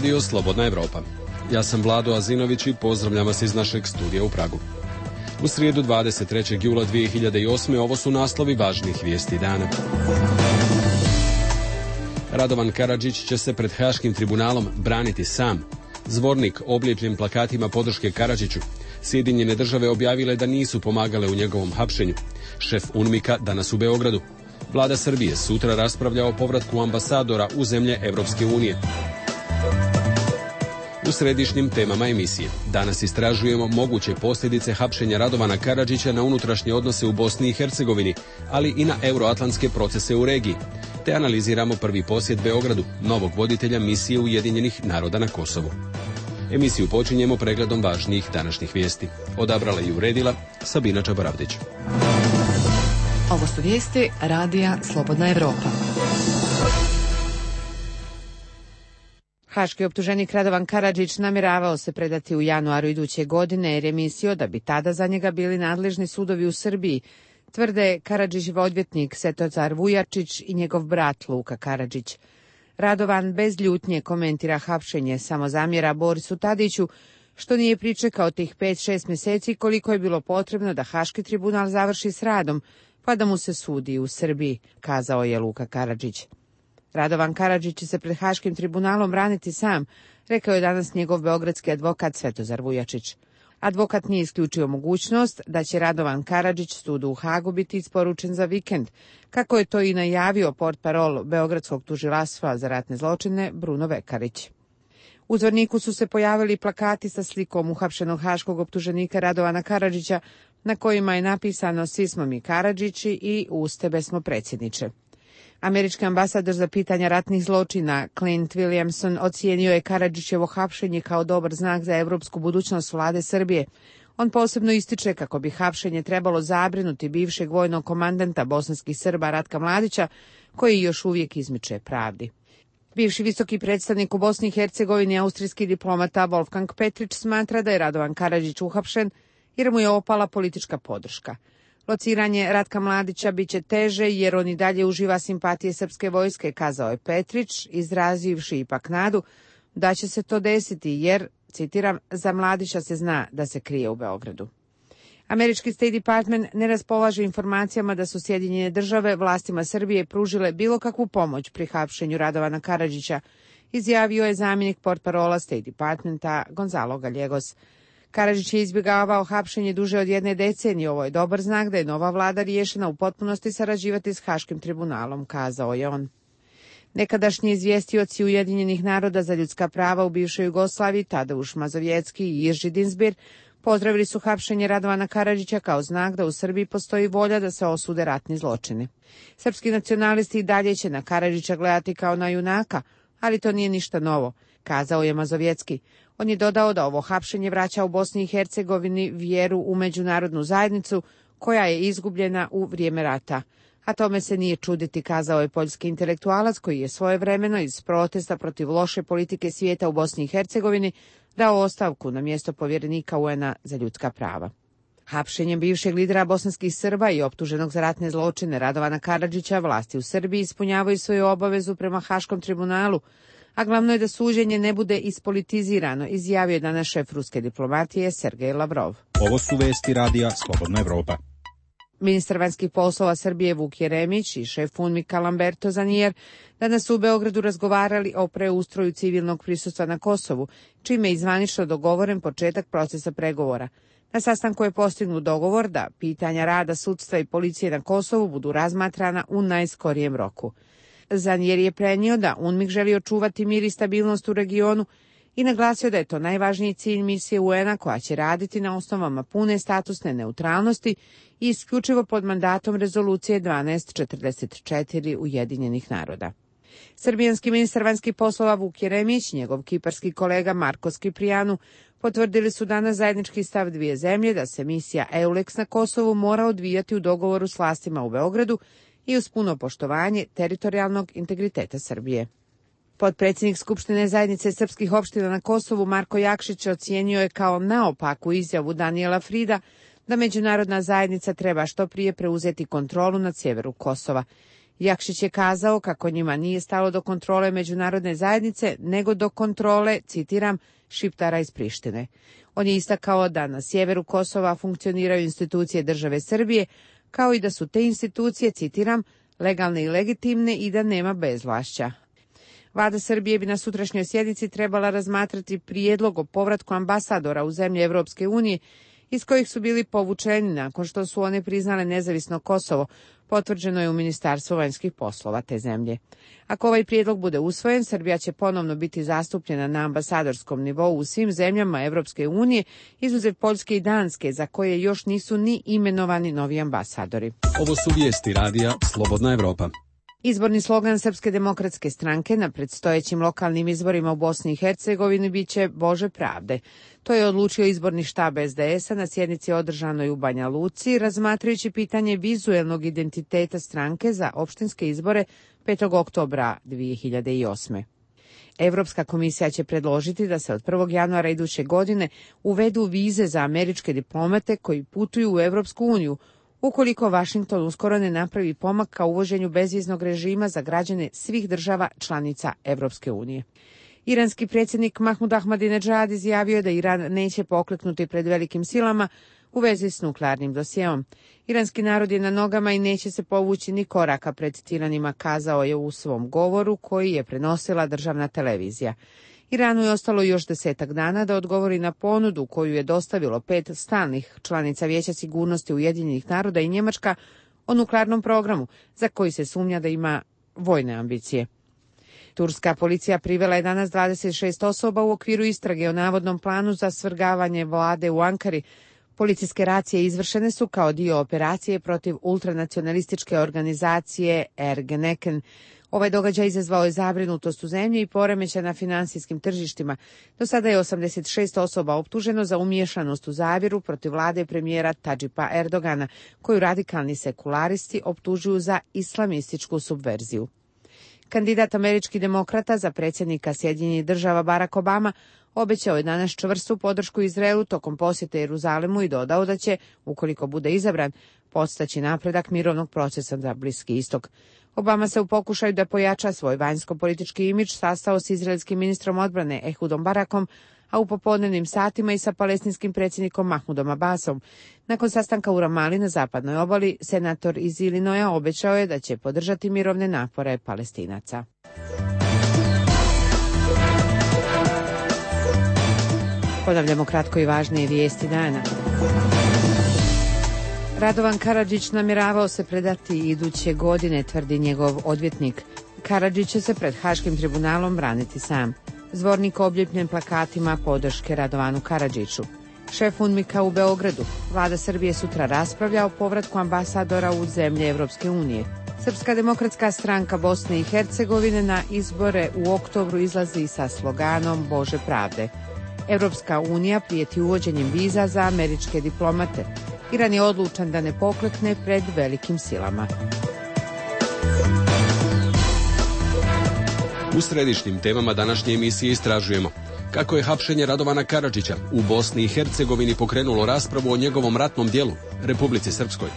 Radio Slobodna Evropa. Ja sam Vlado Azinović i pozdravljam vas iz našeg studija u Pragu. U srijedu 23. jula 2008. ovo su naslovi važnih vijesti dana. Radovan Karadžić će se pred Haškim tribunalom braniti sam. Zvornik oblijepljen plakatima podrške Karadžiću. Sjedinjene države objavile da nisu pomagale u njegovom hapšenju. Šef UNMIK-a danas u Beogradu. Vlada Srbije sutra raspravlja o povratku ambasadora u zemlje Evropske unije. U središnjim temama emisije danas istražujemo moguće posljedice hapšenja Radovana Karadžića na unutrašnje odnose u Bosni i Hercegovini, ali i na euroatlantske procese u regiji. Te analiziramo prvi posjet Beogradu, novog voditelja misije Ujedinjenih naroda na Kosovu. Emisiju počinjemo pregledom važnijih današnjih vijesti. Odabrala i uredila Sabina Čabaravdić. Ovo su vijesti Radija Slobodna Evropa. Haški optuženik Radovan Karadžić namjeravao se predati u januaru iduće godine jer je mislio da bi tada za njega bili nadležni sudovi u Srbiji, tvrde Karadžićev odvjetnik Svetozar Vujačić i njegov brat Luka Karadžić. Radovan bez ljutnje komentira hapšenje, samo zamjera Borisu Tadiću što nije pričekao tih 5-6 mjeseci koliko je bilo potrebno da Haški tribunal završi s radom, pa da mu se sudi u Srbiji, kazao je Luka Karadžić. Radovan Karadžić će se pred Haškim tribunalom braniti sam, rekao je danas njegov beogradski advokat Svetozar Vujačić. Advokat nije isključio mogućnost da će Radovan Karadžić sudu u Hagu biti isporučen za vikend, kako je to i najavio portparol Beogradskog tužilaštva za ratne zločine Bruno Vekarić. U Zvorniku su se pojavili plakati sa slikom uhapšenog haškog optuženika Radovana Karadžića, na kojima je napisano "Svi smo mi Karadžići" i "Uz tebe smo predsjedniče". Američki ambasador za pitanja ratnih zločina Clint Williamson ocijenio je Karadžićevo hapšenje kao dobar znak za evropsku budućnost vlade Srbije. On posebno ističe kako bi hapšenje trebalo zabrinuti bivšeg vojnog komandanta bosanskih Srba Ratka Mladića, koji još uvijek izmiče pravdi. Bivši visoki predstavnik u Bosni i Hercegovini, austrijski diplomata Wolfgang Petrić, smatra da je Radovan Karadžić uhapšen jer mu je opala politička podrška. Lociranje Ratka Mladića biće teže jer on i dalje uživa simpatije srpske vojske, kazao je Petrić, izrazivši ipak nadu da će se to desiti jer, citiram, za Mladića se zna da se krije u Beogradu. Američki State Department ne raspolaže informacijama da su Sjedinjene države vlastima Srbije pružile bilo kakvu pomoć pri hapšenju Radovana Karadžića, izjavio je zamjenik portparola State Departmenta Gonzalo Gallegos. Karadžić je izbjegavao hapšenje duže od 1 decenije. Ovo je dobar znak da je nova vlada riješena u potpunosti sarađivati s Haškim tribunalom, kazao je on. Nekadašnji izvjestioci Ujedinjenih naroda za ljudska prava u bivšoj Jugoslaviji, Tadeuš Mazovjetski i Irži Dinsbir, pozdravili su hapšenje Radovana Karadžića kao znak da u Srbiji postoji volja da se osude ratni zločini. Srpski nacionalisti i dalje će na Karadžića gledati kao na junaka, ali to nije ništa novo, kazao je Mazovjetski. On je dodao da ovo hapšenje vraća u Bosni i Hercegovini vjeru u međunarodnu zajednicu koja je izgubljena u vrijeme rata. A tome se nije čuditi, kazao je poljski intelektualac koji je svojevremeno iz protesta protiv loše politike svijeta u Bosni i Hercegovini dao ostavku na mjesto povjerenika UN-a za ljudska prava. Hapšenjem bivšeg lidera bosanskih Srba i optuženog za ratne zločine Radovana Karadžića vlasti u Srbiji ispunjavaju svoju obavezu prema Haškom tribunalu, a glavno je da suđenje ne bude ispolitizirano, izjavio je danas šef ruske diplomatije Sergej Lavrov. Ovo su vesti Radija Slobodna Evropa. Ministar vanjskih poslova Srbije Vuk Jeremić i šef UNMIK-a Lamberto Zanier danas su u Beogradu razgovarali o preustroju civilnog prisustva na Kosovu, čime je zvanično dogovoren početak procesa pregovora. Na sastanku je postignut dogovor da pitanja rada sudstva i policije na Kosovu budu razmatrana u najskorijem roku. Zanier je prenio da UNMIK želi očuvati mir i stabilnost u regionu i naglasio da je to najvažniji cilj misije UN-a koja će raditi na osnovama pune statusne neutralnosti i isključivo pod mandatom rezolucije 1244 Ujedinjenih naroda. Srbijanski ministar vanjskih poslova Vuk Jeremić i njegov kiparski kolega Marko Skiprijanu potvrdili su danas zajednički stav dvije zemlje da se misija EULEX na Kosovu mora odvijati u dogovoru s vlastima u Beogradu i uz puno poštovanje teritorijalnog integriteta Srbije. Potpredsjednik Skupštine zajednice srpskih opština na Kosovu Marko Jakšić ocijenio je kao naopaku izjavu Danijela Frida da međunarodna zajednica treba što prije preuzeti kontrolu nad sjeveru Kosova. Jakšić je kazao kako njima nije stalo do kontrole međunarodne zajednice, nego do kontrole, citiram, Šiptara iz Prištine. On je istakao da na sjeveru Kosova funkcioniraju institucije države Srbije, kao i da su te institucije, citiram, legalne i legitimne i da nema bezvlašća. Vlada Srbije bi na sutrašnjoj sjednici trebala razmatrati prijedlog o povratku ambasadora u zemlje Evropske unije iz kojih su bili povučeni nakon što su one priznale nezavisno Kosovo, potvrđeno je u Ministarstvu vanjskih poslova te zemlje. Ako ovaj prijedlog bude usvojen, Srbija će ponovno biti zastupljena na ambasadorskom nivou u svim zemljama Evropske unije, izuzev Poljske i Danske, za koje još nisu ni imenovani novi ambasadori. Ovo su vijesti radija Slobodna Evropa. Izborni slogan Srpske demokratske stranke na predstojećim lokalnim izborima u Bosni i Hercegovini biće Bože pravde. To je odlučio izborni štab SDS-a na sjednici održanoj u Banja Luci, razmatrajući pitanje vizuelnog identiteta stranke za opštinske izbore 5. oktobra 2008. Evropska komisija će predložiti da se od 1. januara iduće godine uvedu vize za američke diplomate koji putuju u Evropsku uniju, ukoliko Vašington uskoro ne napravi pomak ka uvođenju bezviznog režima za građane svih država članica Evropske unije. Iranski predsjednik Mahmud Ahmadinedžad izjavio je da Iran neće pokleknuti pred velikim silama u vezi s nuklearnim dosjeom. Iranski narod je na nogama i neće se povući ni koraka pred tiranima, kazao je u svom govoru koji je prenosila državna televizija. Iranu je ostalo još 10 dana da odgovori na ponudu koju je dostavilo 5 stalnih članica Vijeća sigurnosti Ujedinjenih naroda i Njemačka o nuklearnom programu, za koji se sumnja da ima vojne ambicije. Turska policija privela je danas 26 osoba u okviru istrage o navodnom planu za svrgavanje vlade u Ankari. Policijske racije izvršene su kao dio operacije protiv ultranacionalističke organizacije Ergeneken. Ovaj događaj izazvao je zabrinutost u zemlji i poremećaj na finansijskim tržištima. Do sada je 86 osoba optuženo za umiješanost u zavjeru protiv vlade premijera Tadžipa Erdogana, koju radikalni sekularisti optužuju za islamističku subverziju. Kandidat američkih demokrata za predsjednika Sjedinjenih Država Barack Obama obećao je danas čvrstu podršku Izraelu tokom posjete Jeruzalemu i dodao da će, ukoliko bude izabran, podstaći napredak mirovnog procesa za Bliski istok. Obama se u pokušaju da pojača svoj vanjsko-politički imidž sastao s izraelskim ministrom odbrane Ehudom Barakom, a u popodnevnim satima i sa palestinskim predsjednikom Mahmudom Abbasom. Nakon sastanka u Ramali na zapadnoj obali, senator iz Ilinoja obećao je da će podržati mirovne napore Palestinaca. Ponavljamo kratko i važnije vijesti dana. Radovan Karadžić namjeravao se predati iduće godine, tvrdi njegov odvjetnik. Karadžić će se pred Haškim tribunalom braniti sam. Zvornik obljepljen plakatima podrške Radovanu Karadžiću. Šef UNMIK-a u Beogradu. Vlada Srbije sutra raspravlja o povratku ambasadora u zemlje Evropske unije. Srpska demokratska stranka Bosne i Hercegovine na izbore u oktobru izlazi sa sloganom Bože pravde. Evropska unija prijeti uvođenjem viza za američke diplomate. Iran je odlučan da ne poklekne pred velikim silama. U središnjim temama današnje emisije istražujemo kako je hapšenje Radovana Karadžića u Bosni i Hercegovini pokrenulo raspravu o njegovom ratnom djelu, Republici Srpskoj.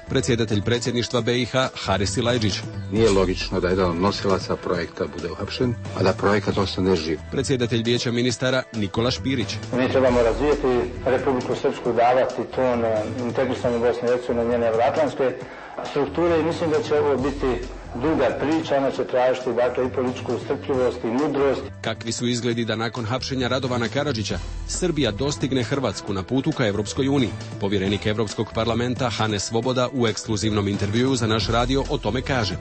Predsjedatelj predsjedništva BiH Haris Silajdžić. Nije logično da jedan od nosilaca projekta bude uhapšen, a da projekat ostane živ. Predsjedatelj Vijeća ministara Nikola Špirić. Mi trebamo razvijeti Republiku Srpsku, davati ton integrisanju Bosne i Hercegovine, njene evroatlantske strukture i mislim da će ovo biti duga priča, ona će tražiti dakle i političku strpljivost i mudrost. Kakvi su izgledi da nakon hapšenja Radovana Karadžića Srbija dostigne Hrvatsku na putu ka Evropskoj uniji? Povjerenik Evropskog parlamenta Hane Svoboda u ekskluzivnom intervjuu za naš radio o tome kaže.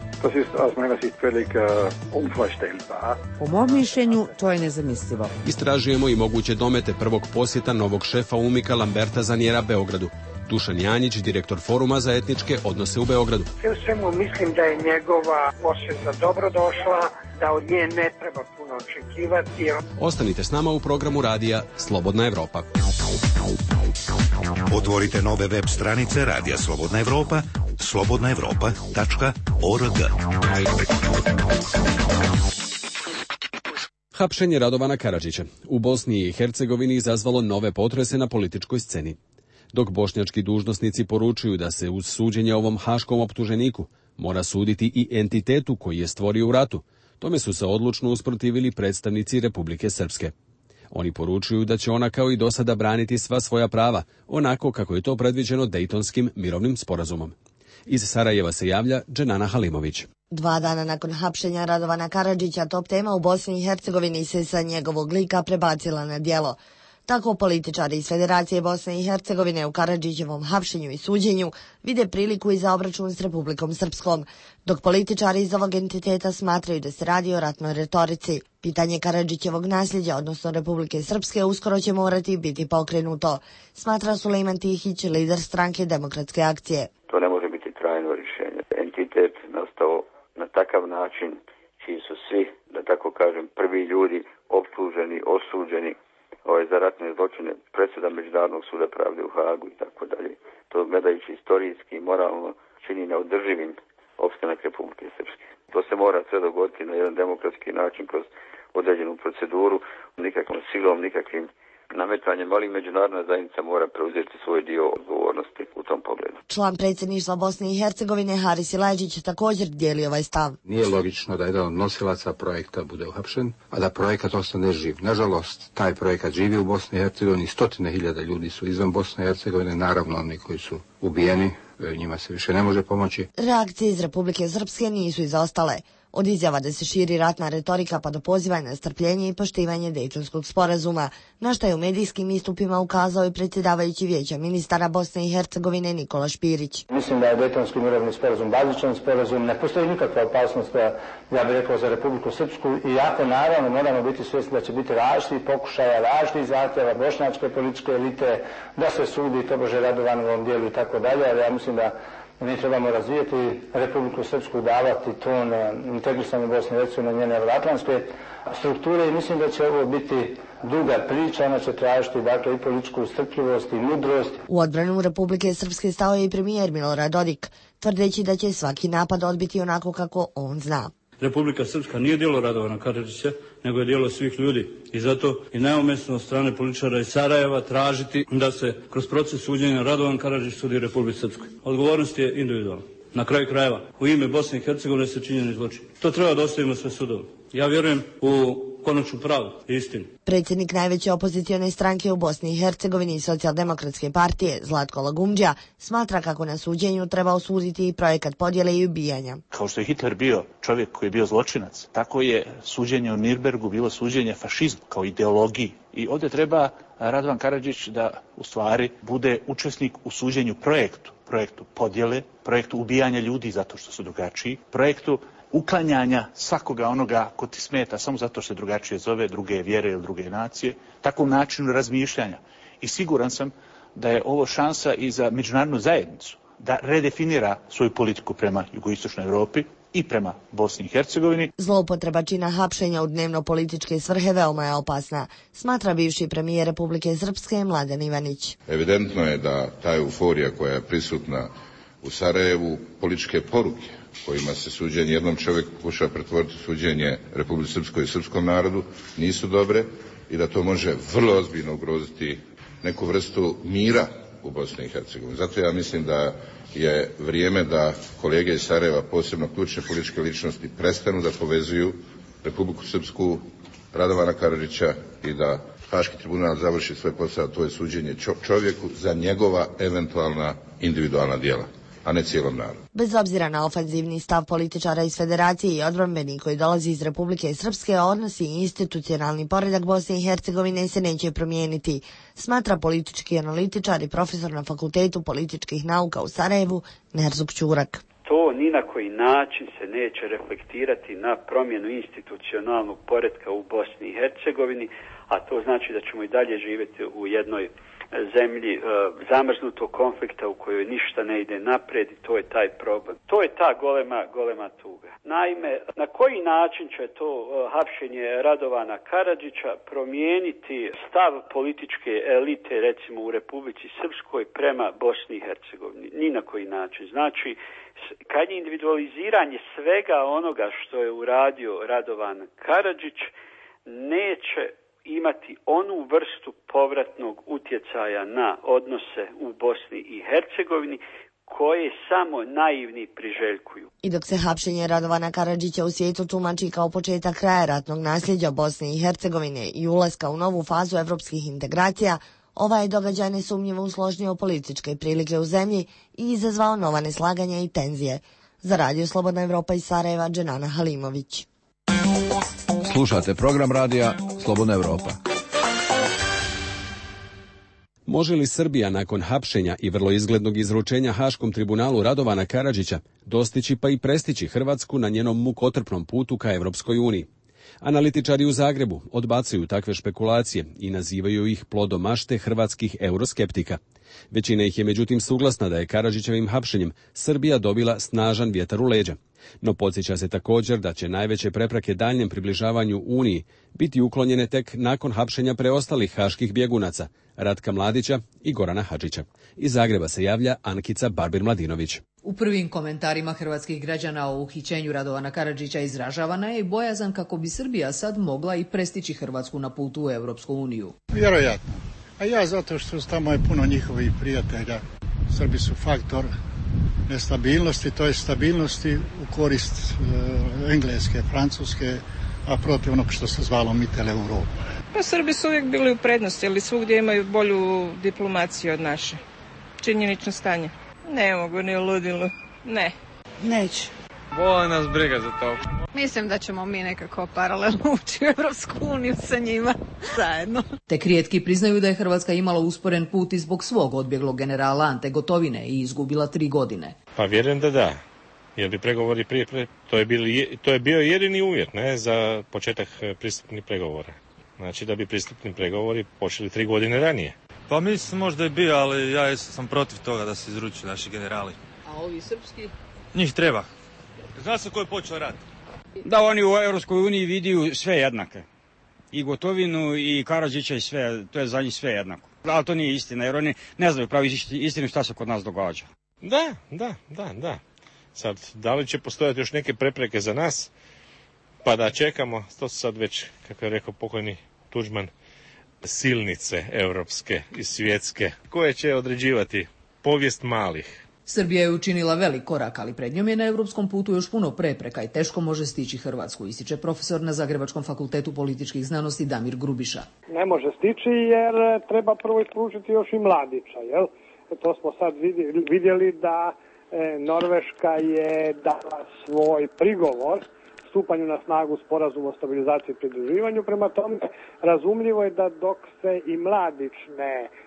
Po mom mišljenju to je nezamislivo. Istražujemo i moguće domete prvog posjeta novog šefa UNMIK-a Lamberta Zanjera Beogradu. Dušan Janjić, direktor Foruma za etničke odnose u Beogradu. Sve u svemu mislim da je njegova posjeta dobrodošla, da od nje ne treba puno očekivati. Ostanite s nama u programu radija Slobodna Evropa. Otvorite nove web stranice Radija Slobodna Evropa, slobodnaevropa.org. Hapšenje Radovana Karadžića u Bosni i Hercegovini izazvalo nove potrese na političkoj sceni. Dok bošnjački dužnosnici poručuju da se uz suđenje ovom haškom optuženiku Mora suditi i entitetu koji je stvorio u ratu. Tome su se odlučno usprotivili predstavnici Republike Srpske. Oni poručuju da će ona kao i do sada braniti sva svoja prava, onako kako je to predviđeno Dejtonskim mirovnim sporazumom. Iz Sarajeva se javlja Dženana Halimović. 2 dana nakon hapšenja Radovana Karadžića, top tema u Bosni i Hercegovini se sa njegovog lika prebacila na djelo. Tako političari iz Federacije Bosne i Hercegovine u Karadžićevom hapšenju i suđenju vide priliku i za obračun s Republikom Srpskom, dok političari iz ovog entiteta smatraju da se radi o ratnoj retorici. Pitanje Karadžićevog nasljeđa, odnosno Republike Srpske, uskoro će morati biti pokrenuto, smatra Sulejman Tihić, lider stranke Demokratske akcije. To ne može biti trajno rješenje. Entitet nastao na takav način čiji su svi, da tako kažem, prvi ljudi optuženi, osuđeni za ratne zločine, presuda Međunarodnog suda pravde u Hagu i tako dalje. To gledajući istorijski i moralno čini neodrživim opstanak Republike Srpske. To se mora sve dogoditi na jedan demokratski način kroz određenu proceduru, nikakvom silom, nikakvim nametanjem, ali međunarodna zajednica mora preuzeti svoj dio odgovornosti u tom pogledu. Član predsjedništva Bosne i Hercegovine Haris Silajdžić također dijeli ovaj stav. Nije logično da jedan od nosilaca projekta bude uhapšen, a da projekat ostane živ. Nažalost, taj projekat živi u Bosni i Hercegovini, 100.000 ljudi su izvan Bosne i Hercegovine, naravno oni koji su ubijeni, njima se više ne može pomoći. Reakcije iz Republike Srpske nisu izostale. Od izjava da se širi ratna retorika pa do pozivanja na strpljenje i poštivanje Dejtonskog sporazuma, na što je u medijskim istupima ukazao i predsjedavajući Vijeća ministara Bosne i Hercegovine Nikola Špirić. Mislim da je Dejtonski mirovni sporazum bazičan sporazum, ne postoji nikakva opasnost, ja bih rekao, za Republiku Srpsku, iako naravno moramo biti svjesni da će biti različitih pokušaja, različitih zahtjeva bošnjačke političke elite, da se sudi tobože Radovanovom dijelu i tako dalje, ali ja mislim da mi trebamo razvijeti Republiku Srpsku, davati ton integrisanje Bosne i Hercegovine, njene evroatlantske strukture i mislim da će ovo biti duga priča, ona će tražiti dakle i političku strpljivost i mudrost. U odbranu Republike Srpske stao je i premijer Milorad Dodik, tvrdeći da će svaki napad odbiti onako kako on zna. Republika Srpska nije djelo Radovana Karadžića, nego je djelo svih ljudi. I zato je neumjesno od strane političara iz Sarajeva tražiti da se kroz proces suđenja Radovan Karadžić sudi Republici Srpskoj. Odgovornost je individualna. Na kraju krajeva, u ime Bosne i Hercegovine se činjeni zločin. To treba da ostavimo sve sudove. Ja vjerujem u konačnu pravdu i istinu. Predsjednik najveće opozicione stranke u Bosni i Hercegovini i Socijaldemokratske partije, Zlatko Lagumđija, smatra kako na suđenju treba osuditi i projekat podjele i ubijanja. Kao što je Hitler bio čovjek koji je bio zločinac, tako je suđenje u Nirnbergu bilo suđenje fašizmu kao ideologiji. I ovdje treba Radovan Karadžić da u stvari bude učesnik u suđenju projektu podjele, projektu ubijanja ljudi zato što su drugačiji, projektu uklanjanja svakoga onoga ko ti smeta samo zato što se drugačije zove, druge vjere ili druge nacije, takvom načinu razmišljanja. I siguran sam da je ovo šansa i za međunarodnu zajednicu da redefinira svoju politiku prema jugoistočnoj Europi i prema Bosni i Hercegovini. Zloupotreba čina hapšenja u dnevno političke svrhe veoma je opasna, smatra bivši premijer Republike Srpske Mladen Ivanić. Evidentno je da ta euforija koja je prisutna u Sarajevu, političke poruke kojima se suđenje jednom čovjeku pokušava pretvoriti suđenje Republici Srpskoj i srpskom narodu nisu dobre i da to može vrlo ozbiljno ugroziti neku vrstu mira u Bosni i Hercegovini. Zato ja mislim da je vrijeme da kolege iz Sarajeva, posebno ključne političke ličnosti, prestanu da povezuju Republiku Srpsku, Radovana Karadžića i da Haški tribunal završi svoj posao, to je suđenje čovjeku za njegova eventualna individualna djela, a ne cijelom narodu. Bez obzira na ofanzivni stav političara iz Federacije i odbrambeni koji dolazi iz Republike Srpske, odnosi i institucionalni poredak Bosne i Hercegovine se neće promijeniti, smatra politički analitičar i profesor na Fakultetu političkih nauka u Sarajevu Nerzuk Ćurak. To ni na koji način se neće reflektirati na promjenu institucionalnog poretka u Bosni i Hercegovini, a to znači da ćemo i dalje živjeti u jednoj zemlji zamrznutog konflikta u kojoj ništa ne ide naprijed i to je taj problem. To je ta golema tuga. Naime, na koji način će to hapšenje Radovana Karadžića promijeniti stav političke elite, recimo u Republici Srpskoj, prema Bosni i Hercegovini? Ni na koji način. Znači, kad je individualiziranje svega onoga što je uradio Radovan Karadžić, neće imati onu vrstu povratnog utjecaja na odnose u Bosni i Hercegovini koje samo naivni priželjkuju. I dok se hapšenje Radovana Karadžića u svijetu tumači kao početak kraja ratnog nasljeđa Bosne i Hercegovine i ulaska u novu fazu evropskih integracija, ovaj događaj nesumnjivo usložnio političke prilike u zemlji i izazvao nova neslaganja i tenzije. Za Radio Slobodna Evropa iz Sarajeva, Dženana Halimović. Slušate program radija Slobodna Evropa. Može li Srbija nakon hapšenja i vrlo izglednog izručenja Haškom tribunalu Radovana Karadžića dostići pa i prestići Hrvatsku na njenom mukotrpnom putu ka Evropskoj uniji? Analitičari u Zagrebu odbacuju takve špekulacije i nazivaju ih plodom mašte hrvatskih euroskeptika. Većina ih je međutim suglasna da je Karadžićevim hapšenjem Srbija dobila snažan vjetar u leđa. No podsjeća se također da će najveće prepreke daljnjem približavanju Uniji biti uklonjene tek nakon hapšenja preostalih haških bjegunaca, Ratka Mladića i Gorana Hadžića. Iz Zagreba se javlja Ankica Barbir-Mladinović. U prvim komentarima hrvatskih građana o uhićenju Radovana Karadžića izražavana je i bojazan kako bi Srbija sad mogla i prestići Hrvatsku na putu u Europsku uniju. Vjerojatno. A ja zato što tamo je puno njihovih prijatelja. Srbi su faktor nestabilnosti, to je stabilnosti u korist Engleske, Francuske, a protiv onog što se zvalo Mittel Europe. Pa Srbi su uvijek bili u prednosti, ali svugdje imaju bolju diplomaciju od naše. Činjenično stanje. Ne mogu ni ludilu. Ne. Neće. Boli nas briga za to. Mislim da ćemo mi nekako paralelno ući u Evropsku uniju sa njima zajedno. Tek rijetki priznaju da je Hrvatska imala usporen put i zbog svog odbjeglog generala Ante Gotovine i izgubila 3 godine. Pa vjerujem da. Jer bi pregovori prije, to je bio jedini uvjet za početak pristupnih pregovora. Znači da bi pristupni pregovori počeli 3 godine ranije. Pa mislim možda je bio, ali ja sam protiv toga da se izručuju naši generali. A ovi srpski? Njih treba. Zna se ko je počeo rat? Da oni u Europskoj uniji vidiju sve jednake. I Gotovinu i Karadžića i sve, to je za njih sve jednako. Ali to nije istina, jer oni ne znaju pravi istinu šta se kod nas događa. Da. Sad, da li će postojati još neke prepreke za nas, pa da čekamo, to su sad već, kako je rekao pokojni Tuđman, silnice europske i svjetske, koje će određivati povijest malih. Srbija je učinila velik korak, ali pred njom je na europskom putu još puno prepreka i teško može stići Hrvatsku, ističe profesor na Zagrebačkom fakultetu političkih znanosti Damir Grubiša. Ne može stići jer treba prvo ispružiti još i Mladića, jel? To smo sad vidjeli da Norveška je dala svoj prigovor stupanju na snagu sporazuma o stabilizaciji i pridruživanju. Prema tome, razumljivo je da dok se i Mladić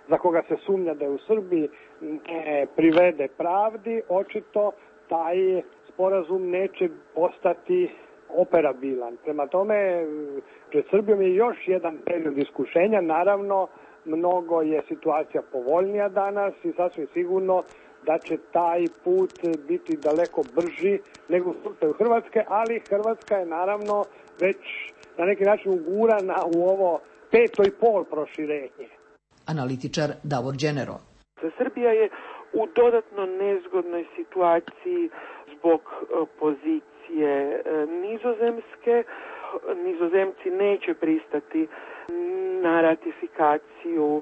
za koga se sumnja da je u Srbiji, ne privede pravdi, očito taj sporazum neće postati operabilan. Prema tome, pred Srbijom je još jedan period iskušenja. Naravno, mnogo je situacija povoljnija danas i sasvim sigurno da će taj put biti daleko brži nego u slučaju Hrvatske, ali Hrvatska je naravno već na neki način ugurana u ovo 5,5 proširenje. Analitičar Davor Đenero. Srbija je u dodatno nezgodnoj situaciji zbog pozicije Nizozemske. Nizozemci neće pristati na ratifikaciju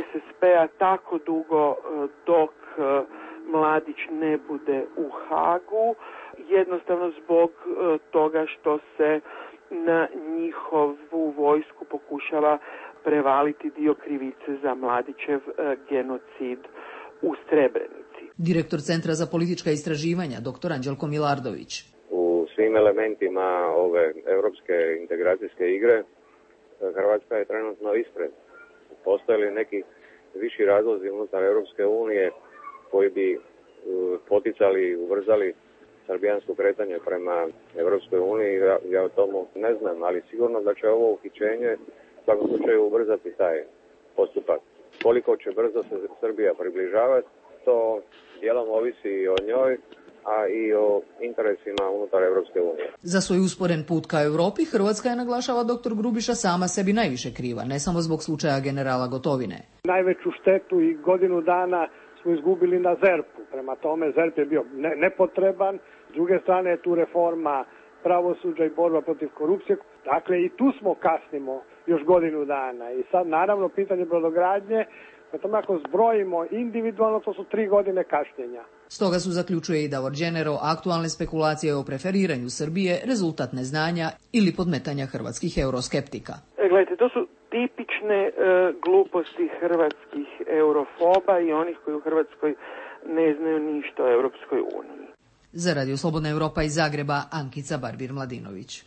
SSP-a tako dugo dok Mladić ne bude u Hagu, jednostavno zbog toga što se na njihovu vojsku pokušava prevaliti dio krivice za Mladićev genocid u Srebrenici. Direktor Centra za politička istraživanja, dr. Anđelko Milardović. U svim elementima ove europske integracijske igre Hrvatska je trenutno ispred. Postoje li neki viši razlozi unutar Europske unije koji bi poticali i ubrzali srbijansko kretanje prema Europskoj uniji, ja o tomu ne znam, ali sigurno da će ovo uhićenje u svakom slučaju ubrzati taj postupak. Koliko će brzo se Srbija približavati, to dijelom ovisi i o njoj, a i o interesima unutar Europske unije. Za svoj usporen put ka Europi Hrvatska je, naglašava dr. Grubiša, sama sebi najviše kriva, ne samo zbog slučaja generala Gotovine. Najveću štetu i godinu dana smo izgubili na ZERP-u. Prema tome, ZERP je bio nepotreban. S druge strane je tu reforma pravosuđa i borba protiv korupcije. Dakle, i tu smo kasnimo još godinu dana. I sad, naravno, pitanje brodogradnje, prema tome ako zbrojimo individualno, to su 3 godine kašnjenja. Stoga su, zaključuje i Davor Đenero, aktualne spekulacije o preferiranju Srbije rezultat neznanja ili podmetanja hrvatskih euroskeptika. Gledajte, to su tipične gluposti hrvatskih eurofoba i onih koji u Hrvatskoj ne znaju ništa o Europskoj uniji. Za Radio Slobodna Europa iz Zagreba, Ankica Barbir-Mladinović.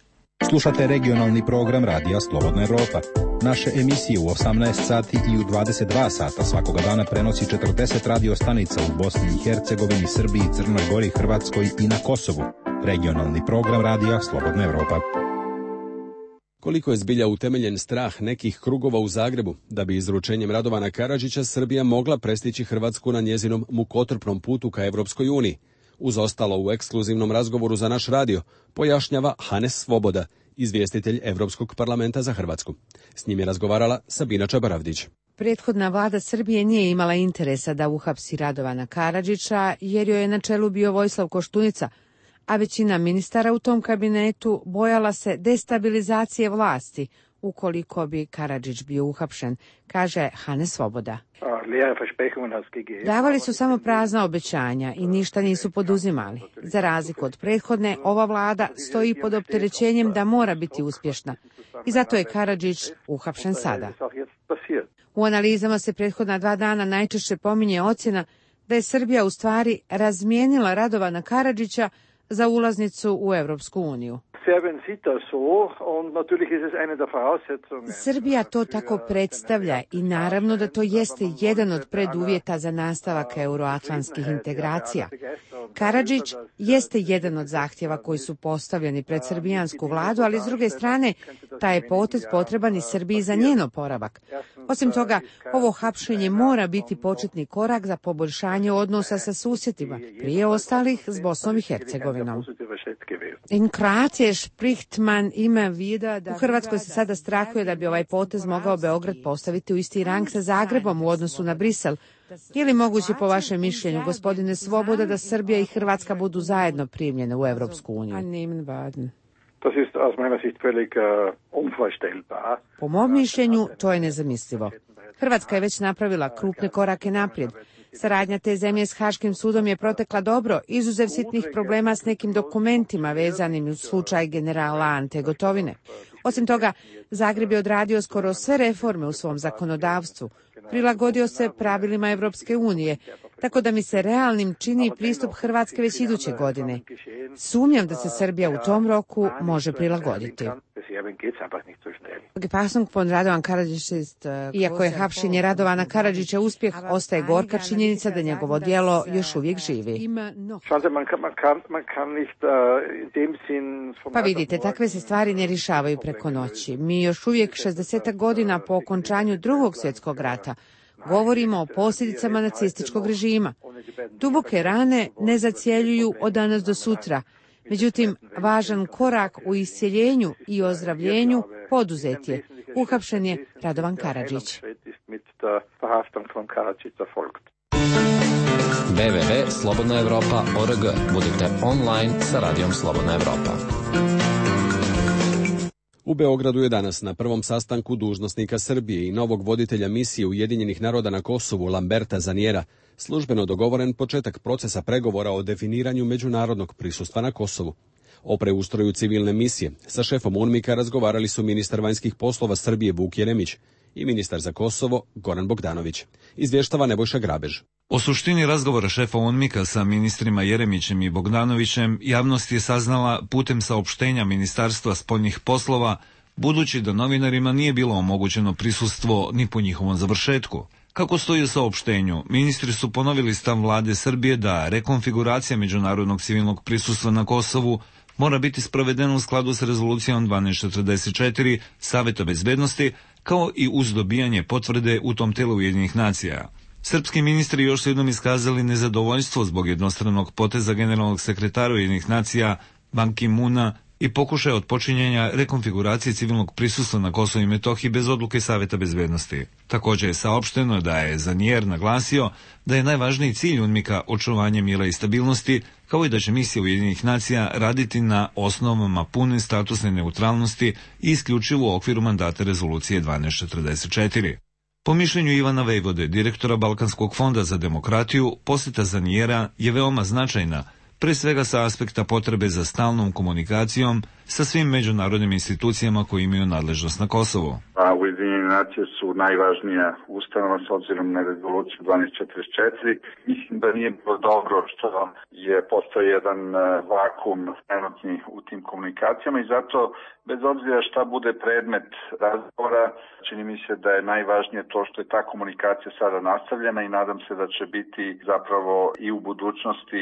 Slušate regionalni program Radija Slobodna Europa. Naše emisije u 18 sati i u 22 sata svakoga dana prenosi 40 radio stanica u Bosni i Hercegovini, Srbiji, Crnoj Gori, Hrvatskoj i na Kosovu. Regionalni program Radija Slobodna Europa. Koliko je zbilja utemeljen strah nekih krugova u Zagrebu da bi izručenjem Radovana Karadžića Srbija mogla prestići Hrvatsku na njezinom mukotrpnom putu ka Evropskoj uniji? Uz ostalo u ekskluzivnom razgovoru za naš radio pojašnjava Hanes Svoboda, izvjestitelj Evropskog parlamenta za Hrvatsku. S njim je razgovarala Sabina Čabaravdić. Prethodna vlada Srbije nije imala interesa da uhapsi Radovana Karadžića jer joj je na čelu bio Vojislav Koštunica, a većina ministara u tom kabinetu bojala se destabilizacije vlasti ukoliko bi Karadžić bio uhapšen, kaže Hanes Svoboda. Davali su samo prazna obećanja i ništa nisu poduzimali. Za razliku od prethodne, ova vlada stoji pod opterećenjem da mora biti uspješna i zato je Karadžić uhapšen sada. U analizama se prethodna 2 dana najčešće pominje ocjena da je Srbija u stvari razmijenila Radovana Karadžića za ulaznicu u Europsku uniju. Srbija to tako predstavlja i naravno da to jeste jedan od preduvjeta za nastavak euroatlantskih integracija. Karadžić jeste jedan od zahtjeva koji su postavljeni pred srbijansku vladu, ali s druge strane taj je potez potreban i Srbiji za njen oporavak. Osim toga, ovo hapšenje mora biti početni korak za poboljšanje odnosa sa susjedima, prije ostalih s Bosnom i Hercegovinom. In Kroatije spricht man immer wieder da u Hrvatskoj se sada strahuje da bi ovaj potez mogao Beograd postaviti u isti rang sa Zagrebom u odnosu na Brisel. Je li moguće po vašem mišljenju, gospodine Svoboda, da Srbija i Hrvatska budu zajedno primljene u Europsku uniju? Po mom mišljenju, to je nezamislivo. Hrvatska je već napravila krupne korake naprijed. Saradnja te zemlje s Haškim sudom je protekla dobro, izuzev sitnih problema s nekim dokumentima vezanim uz slučaj generala Ante Gotovine. Osim toga, Zagreb je odradio skoro sve reforme u svom zakonodavstvu, prilagodio se pravilima Evropske unije, tako da mi se realnim čini pristup Hrvatske već iduće godine. Sumnjam da se Srbija u tom roku može prilagoditi. Iako je hapšenje Radovana Karadžića uspjeh, ostaje gorka činjenica da njegovo djelo još uvijek živi. Pa vidite, takve se stvari ne rješavaju preko noći. Mi još uvijek 60 godina po okončanju Drugog svjetskog rata govorimo o posljedicama nacističkog režima. Duboke rane ne zacjeljuju od danas do sutra. Međutim, važan korak u isceljenju i ozdravljenju poduzet je. Uhapšen je Radovan Karadžić. www.slobodnaevropa.org. Budite online sa Radijom Slobodna Evropa. U Beogradu je danas na prvom sastanku dužnosnika Srbije i novog voditelja misije Ujedinjenih naroda na Kosovu Lamberta Zaniera službeno dogovoren početak procesa pregovora o definiranju međunarodnog prisustva na Kosovu. O preustroju civilne misije sa šefom UNMIK-a razgovarali su ministar vanjskih poslova Srbije Vuk Jeremić i ministar za Kosovo Goran Bogdanović. Izvještava Nebojša Grabež. O suštini razgovora šefa UNMIK-a sa ministrima Jeremićem i Bogdanovićem javnost je saznala putem saopštenja Ministarstva spoljnih poslova, budući da novinarima nije bilo omogućeno prisustvo ni po njihovom završetku. Kako stoji u saopštenju, ministri su ponovili stav vlade Srbije da rekonfiguracija međunarodnog civilnog prisustva na Kosovu mora biti sprovedena u skladu s rezolucijom 1244 Saveta bezbednosti, kao i uz dobijanje potvrde u tom telu Ujedinjenih nacija. Srpski ministri još su jednom iskazali nezadovoljstvo zbog jednostranog poteza generalnog sekretara Ujedinjenih nacija Ban Ki-moona i pokušaja otpočinjenja rekonfiguracije civilnog prisustva na Kosovu i Metohiji bez odluke Saveta bezbednosti. Također je saopšteno da je Zanier naglasio da je najvažniji cilj UNMIK-a očuvanje mira i stabilnosti, kao i da će misija Ujedinjenih nacija raditi na osnovama pune statusne neutralnosti i isključivo u okviru mandata rezolucije 1244. Po mišljenju Ivana Vejvode, direktora Balkanskog fonda za demokratiju, posjeta Zanijera je veoma značajna, pre svega sa aspekta potrebe za stalnom komunikacijom sa svim međunarodnim institucijama koji imaju nadležnost na Kosovu. Ujedinjene nacije su najvažnija ustanova s obzirom na rezoluciju 1244. Mislim da nije bilo dobro što je postao jedan vakum trenutni u tim komunikacijama i zato, bez obzira šta bude predmet razgovora, čini mi se da je najvažnije to što je ta komunikacija sada nastavljena i nadam se da će biti zapravo i u budućnosti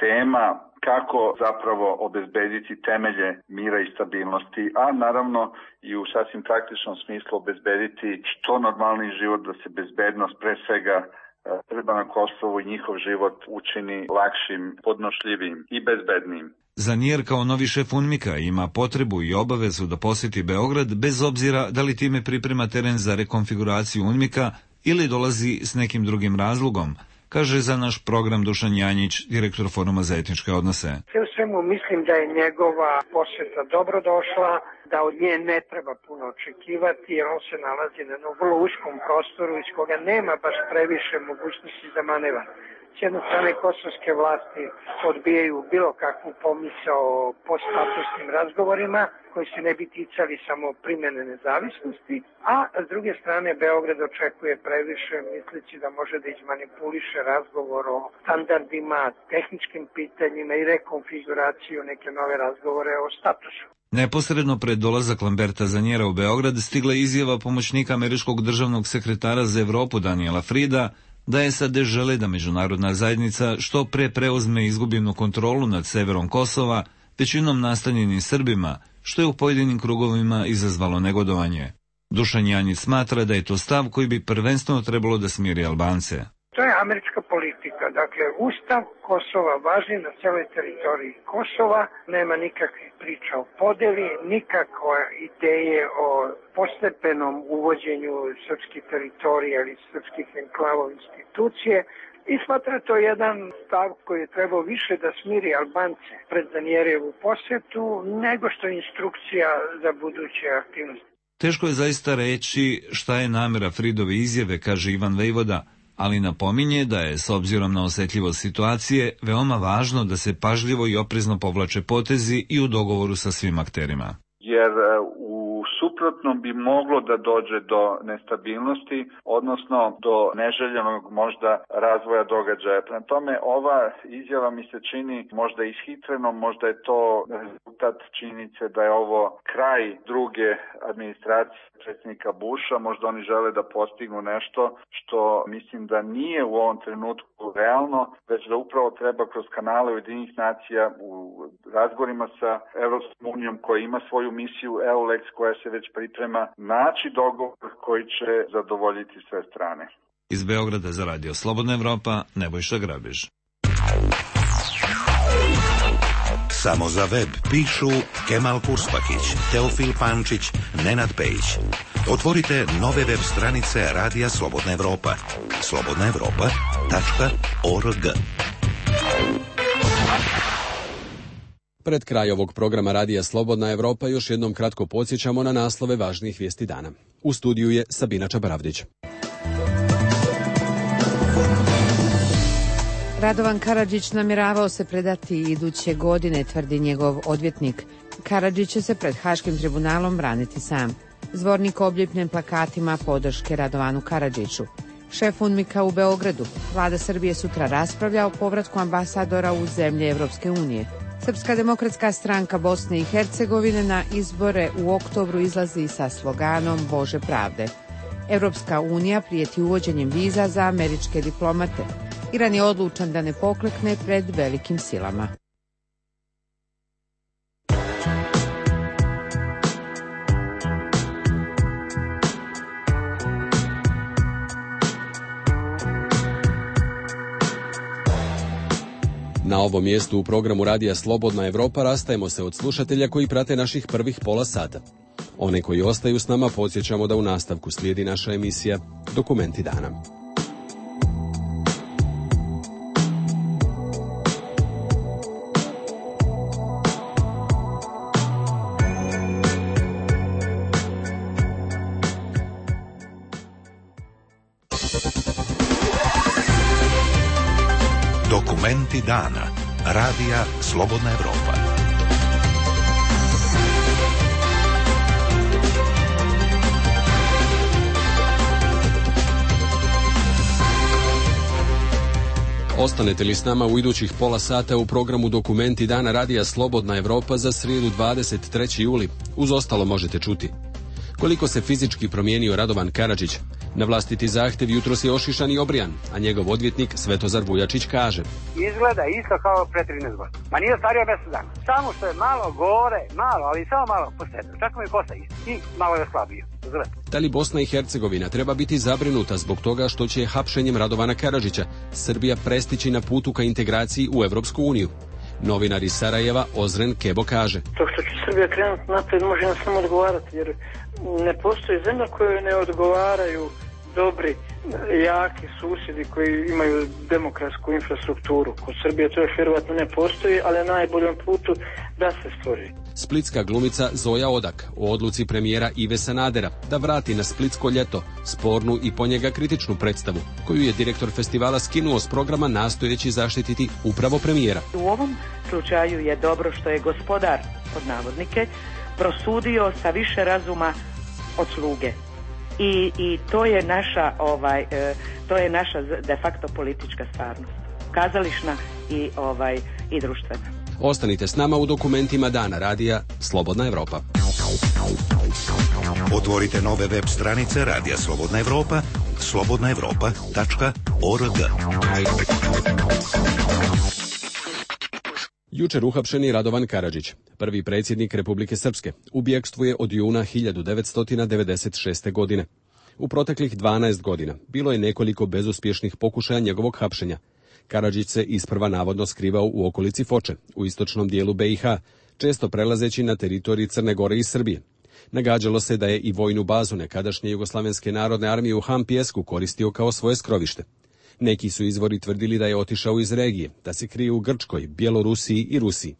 tema kako zapravo obezbediti temelje mira i stabilnosti, a naravno i u sasvim praktičnom smislu obezbediti što normalniji život, da se bezbednost pre svega Srba na Kosovu i njihov život učini lakšim, podnošljivim i bezbednim. Zanijer kao novi šef UNMIK-a ima potrebu i obavezu da posjeti Beograd bez obzira da li time priprema teren za rekonfiguraciju UNMIK-a ili dolazi s nekim drugim razlogom, kaže za naš program Dušan Janjić, direktor Foruma za etničke odnose. Sve u svemu mislim da je njegova posjeta dobrodošla, da od nje ne treba puno očekivati jer on se nalazi na jednom vrlo uskom prostoru iz koga nema baš previše mogućnosti za manevar. S jedne strane kosovske vlasti odbijaju bilo kakvu pomisao o poststatusnim razgovorima koji se ne bi ticali samo primjene nezavisnosti, a s druge strane Beograd očekuje previše misleći da može da izmanipuliše razgovor o standardima, tehničkim pitanjima i rekonfiguraciju neke nove razgovore o statusu. Neposredno pred dolazak Lamberta Zanijera u Beograd stigla izjava pomoćnika američkog državnog sekretara za Evropu Daniela Frida da SAD žele da međunarodna zajednica što pre preuzme izgubljenu kontrolu nad severom Kosova, većinom nastanjenim Srbima, što je u pojedinim krugovima izazvalo negodovanje. Dušan Janjić smatra da je to stav koji bi prvenstveno trebalo da smiri Albance. To je američka politika. Dakle, Ustav Kosova važi na celoj teritoriji Kosova, nema nikakvih priča o podeli, nikakve ideje o postepenom uvođenju srpskih teritorija ili srpskih enklava u institucije i smatra to jedan stav koji je trebao više da smiri Albance pred Zanijerevu posjetu nego što je instrukcija za buduće aktivnosti. Teško je zaista reći šta je namera Fridove izjave, kaže Ivan Vejvoda, ali napominje da je, s obzirom na osetljivost situacije, veoma važno da se pažljivo i oprezno povlače potezi i u dogovoru sa svim akterima. Jer u suprotnom bi moglo da dođe do nestabilnosti, odnosno do neželjenog možda razvoja događaja. Prema tome, ova izjava mi se čini možda ishitrenom, možda je to rezultat činjenice da je ovo kraj druge administracije predsjednika Busha, možda oni žele da postignu nešto što mislim da nije u ovom trenutku realno, već da upravo treba kroz kanale Ujedinjenih nacija u razgovorima sa Evropskom unijom koja ima svoju misiju EULEX koja se već priprema, naći dogovor koji će zadovoljiti sve strane. Iz Beograda za Radio Slobodna Evropa, Nebojša Grabež. Samo za web pišu Kemal Kurspakić, Teofil Pančić, Nenad Pejić. Otvorite nove web stranice Radija Slobodna Evropa. slobodnaevropa.org. Pred kraj ovog programa Radija Slobodna Evropa još jednom kratko podsjećamo na naslove važnijih vijesti dana. U studiju je Sabina Čabaravdić. Radovan Karadžić namjeravao se predati iduće godine, tvrdi njegov odvjetnik. Karadžić će se pred Haškim tribunalom braniti sam. Zvornik obljepljen plakatima podrške Radovanu Karadžiću. Šef UNMIK-a u Beogradu. Vlada Srbije sutra raspravlja o povratku ambasadora u zemlje Evropske unije. Srpska demokratska stranka Bosne i Hercegovine na izbore u oktobru izlazi sa sloganom Bože pravde. Evropska unija prijeti uvođenjem viza za američke diplomate. Iran je odlučan da ne poklekne pred velikim silama. Na ovom mjestu u programu Radija Slobodna Evropa rastajemo se od slušatelja koji prate naših prvih pola sata. One koji ostaju s nama podsjećamo da u nastavku slijedi naša emisija Dokumenti dana. Dokumenti dana. Radija Slobodna Evropa. Ostanete li s nama u idućih pola sata u programu Dokumenti dana Radija Slobodna Evropa za srijedu 23. juli? Uz ostalo možete čuti koliko se fizički promijenio Radovan Karadžić. Na vlastiti zahtjev jutros je ošišan i obrijan, a njegov odvjetnik Svetozar Vujačić kaže: izgleda isto kao pre 13 godina. Ma nije stario mjesec dana. Samo što je malo gore, malo, ali samo malo posebno. Čak mi je kosa isto. I malo je slabio. Da li Bosna i Hercegovina treba biti zabrinuta zbog toga što će hapšenjem Radovana Karadžića Srbija prestići na putu ka integraciji u Evropsku uniju? Novinar iz Sarajeva Ozren Kebo kaže: to što će Srbija krenuti naprijed može nam samo odgovarati, jer ne postoji zemlja kojoj ne odgovaraju dobri, jaki susjedi koji imaju demokratsku infrastrukturu. Kod Srbije to još vjerovatno ne postoji, ali na najboljem putu da se stvori. Splitska glumica Zoja Odak o odluci premijera Ive Sanadera da vrati na Splitsko ljeto spornu i po njega kritičnu predstavu, koju je direktor festivala skinuo s programa nastojeći zaštititi upravo premijera. U ovom slučaju je dobro što je gospodar, pod navodnike, prosudio sa više razuma od sluge. I to je naša to je naša de facto politička stvarnost, kazališna i društvena. Ostanite s nama u dokumentima dana Radija Slobodna Evropa. Otvorite nove web stranice Radija Slobodna Evropa, slobodnaevropa.org. Jučer uhapšeni Radovan Karadžić, prvi predsjednik Republike Srpske, u bjegstvu je od juna 1996. godine. U proteklih 12 godina bilo je nekoliko bezuspješnih pokušaja njegovog hapšenja. Karadžić se isprva navodno skrivao u okolici Foče, u istočnom dijelu BiH, često prelazeći na teritoriji Crne Gore i Srbije. Nagađalo se da je i vojnu bazu nekadašnje Jugoslavenske narodne armije u Han Pijesku koristio kao svoje skrovište. Neki su izvori tvrdili da je otišao iz regije, da se krije u Grčkoj, Bjelorusiji i Rusiji.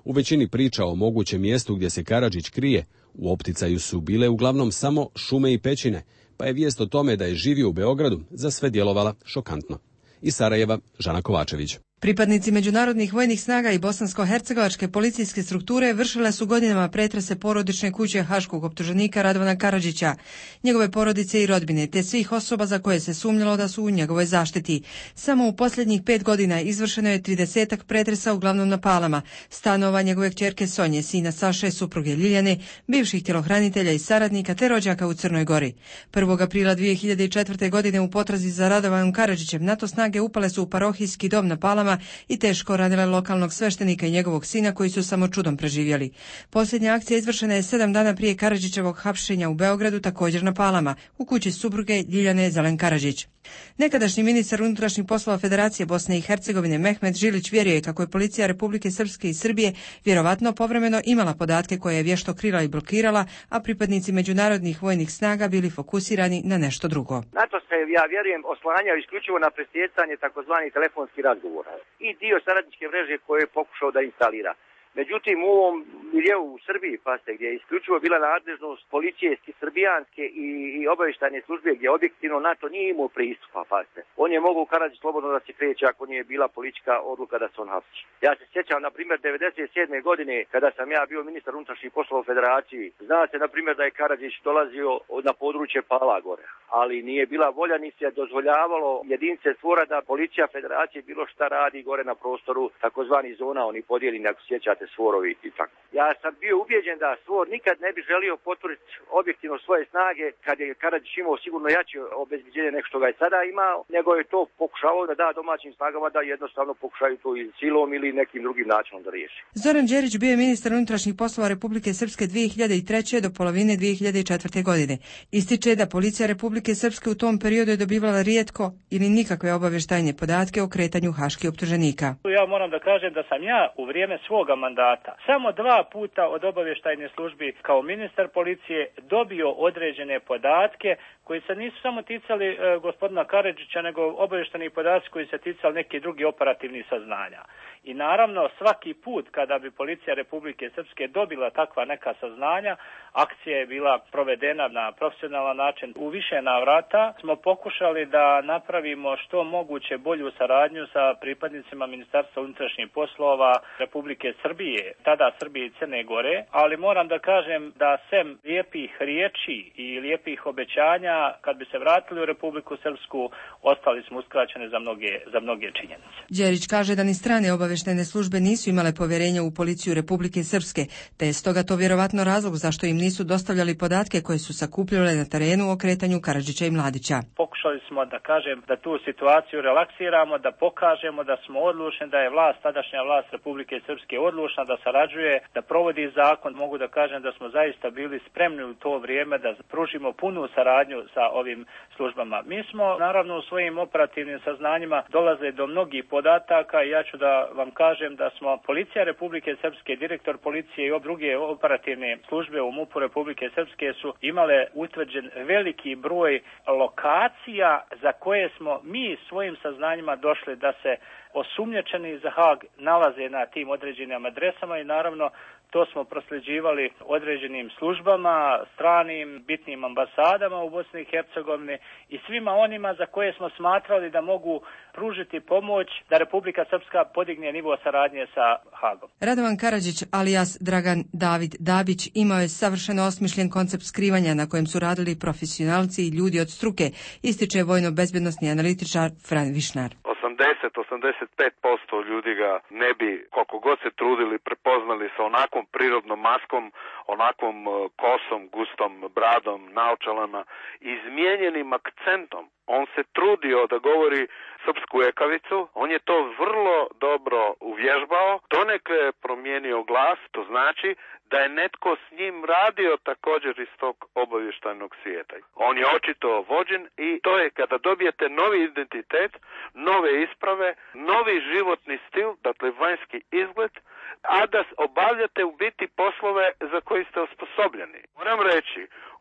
U većini priča o mogućem mjestu gdje se Karadžić krije, u opticaju su bile uglavnom samo šume i pećine, pa je vijest o tome da je živio u Beogradu za sve djelovala šokantno. Iz Sarajeva, Žana Kovačević. Pripadnici međunarodnih vojnih snaga i bosansko-hercegovačke policijske strukture vršile su godinama pretrese porodične kuće haškog optuženika Radovana Karadžića, njegove porodice i rodbine, te svih osoba za koje se sumnjalo da su u njegovoj zaštiti. Samo u posljednjih 5 godina izvršeno je 30 pretresa, uglavnom na Palama, stanova njegove kćerke Sonje, sina Saše, supruge Ljiljane, bivših tjelohranitelja i saradnika te rođaka u Crnoj Gori. 1. aprila 2004. godine u potrazi za Radovanom Karadžićem NATO snage upale su u parohijski dom na Palama i teško ranile lokalnog sveštenika i njegovog sina, koji su samo čudom preživjeli. Posljednja akcija izvršena je 7 dana prije Karadžićevog hapšenja u Beogradu, također na Palama, u kući supruge Ljiljane Zelen Karadžić. Nekadašnji ministar unutrašnjih poslova Federacije Bosne i Hercegovine Mehmet Žilić vjeruje kako je policija Republike Srpske i Srbije vjerovatno povremeno imala podatke koje je vješto krila i blokirala, a pripadnici međunarodnih vojnih snaga bili fokusirani na nešto drugo. NATO se, ja vjerujem, oslanjao isključivo na presjecanje takozvanih telefonskih razgovora i dio saradničke mreže koje je pokušao da instalira. Međutim, u ovom miljeu u Srbiji, paste, gdje je isključivo bila nadležnost policijske, srbijanske i obavještajne službe, gdje objektivno NATO nije imao pristupa, paste. On je mogao u Karadžić slobodno da se kreće ako nije bila politička odluka da se on hapsi. Ja se sjećam, na primjer, 97. godine, kada sam ja bio ministar unutrašnjih poslova u Federaciji, zna se, na primjer, da je Karadžić dolazio na područje Palagore, ali nije bila volja ni se dozvoljavalo jedinice stvora da policija Federacije bilo šta radi gore na prostoru takozvani zona, oni podijeljeni, ako sjećate, Svorovi i tako. Ja sam bio ubijeđen da Svor nikad ne bi želio potvrditi objektivno svoje snage kad je Karadžić imao sigurno jače obezbeđenje nego što ga je sada imao, nego je to pokušavao da da domaćim snagama da jednostavno pokušaju to i silom ili nekim drugim načinom da riješi. Zoran Đerić bio je ministar unutrašnjih poslova Republike Srpske 2003. do polovine 2004. godine. Ističe da policija Republike Srpske u tom periodu je dobivala rijetko ili nikakve obavještajne podatke o kretanju haških optuženika. Ja moram da kažem da sam ja u vrijeme svoga mandata samo 2 puta od obavještajne službi kao ministar policije dobio određene podatke koji se nisu samo ticali gospodina Karadžića, nego obavještajni podaci koji se ticali neki drugi operativni saznanja. I naravno svaki put kada bi policija Republike Srpske dobila takva neka saznanja, akcija je bila provedena na profesionalan način. U više navrata smo pokušali da napravimo što moguće bolju saradnju sa pripadnicima Ministarstva unutrašnjih poslova Republike Srbije, tada Srbije i Crne Gore, ali moram da kažem da sem lijepih riječi i lijepih obećanja, kad bi se vratili u Republiku Srpsku, ostali smo uskraćeni za mnoge činjenice. Đerić kaže da ni strane obavještajne službe nisu imale povjerenja u policiju Republike Srpske, te je stoga to vjerovatno razlog zašto im nisu dostavljali podatke koje su sakupljale na terenu o kretanju Karadžića i Mladića. Pokušali smo da kažem da tu situaciju relaksiramo, da pokažemo da smo odlučni, da je tadašnja vlast Republike Srpske odlučna da sarađuje, da provodi zakon. Mogu da kažem da smo zaista bili spremni u to vrijeme da pružimo punu saradnju sa ovim službama. Mi smo naravno u svojim operativnim saznanjima dolazili do mnogih podataka i ja ću da vam kažem da smo policija Republike Srpske, direktor policije i druge operativne službe u MUP-u Republike Srpske su imale utvrđen veliki broj lokacija za koje smo mi svojim saznanjima došli da se osumnjičeni za Haag nalaze na tim određenim adresama i naravno to smo prosljeđivali određenim službama, stranim, bitnim ambasadama u Bosni i Hercegovini i svima onima za koje smo smatrali da mogu pružiti pomoć da Republika Srpska podigne nivo saradnje sa Haagom. Radovan Karadžić alias Dragan David Dabić imao je savršeno osmišljen koncept skrivanja na kojem su radili profesionalci i ljudi od struke, ističe vojno-bezbjednosni analitičar Fran Višnar. 80-85% ljudi ga ne bi, koliko god se trudili, prepoznali sa onakvom prirodnom maskom, onakvom kosom, gustom bradom, naočalama, izmijenjenim akcentom. On se trudio da govori srpsku ekavicu, on je to vrlo dobro uvježbao, donekle je promijenio glas, to znači da je netko s njim radio također iz tog obavještajnog svijeta. On je očito vođen i to je kada dobijete novi identitet, nove isprave, novi životni stil, dakle vanjski izgled, a da obavljate u biti poslove za koji ste osposobljeni. Moram reći,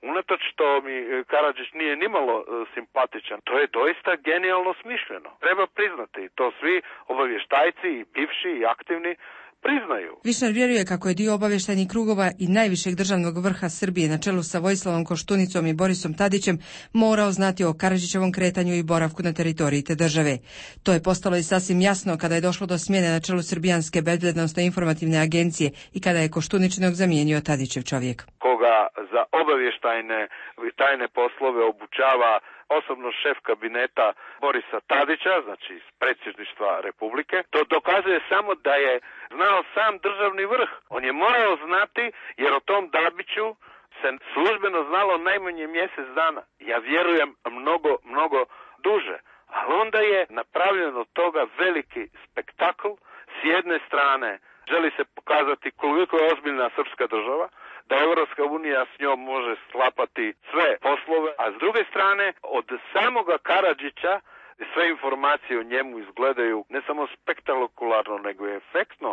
unatoč što mi Karadžić nije nimalo simpatičan, to je doista genijalno smišljeno. Treba priznati, to svi obavještajci i bivši i aktivni priznaju. Višnar vjeruje kako je dio obavještajnih krugova i najvišeg državnog vrha Srbije na čelu sa Vojislavom Koštunicom i Borisom Tadićem morao znati o Karadžićevom kretanju i boravku na teritoriji te države. To je postalo i sasvim jasno kada je došlo do smjene na čelu Srbijanske bezbjednosno-informativne agencije i kada je Koštuničinog zamijenio Tadićev čovjek. Koga za obavještajne i tajne poslove obučava osobno šef kabineta Borisa Tadića, znači iz predsjedništva Republike. To dokazuje samo da je znao sam državni vrh. On je morao znati jer o tom Dabiću se službeno znalo najmanje mjesec dana. Ja vjerujem mnogo duže. Ali onda je napravljen od toga veliki spektakl. S jedne strane želi se pokazati koliko je ozbiljna srpska država, da Europska unija s njom može sklapati sve poslove, a s druge strane od samoga Karadžića sve informacije o njemu izgledaju ne samo spektakularno nego i efektno,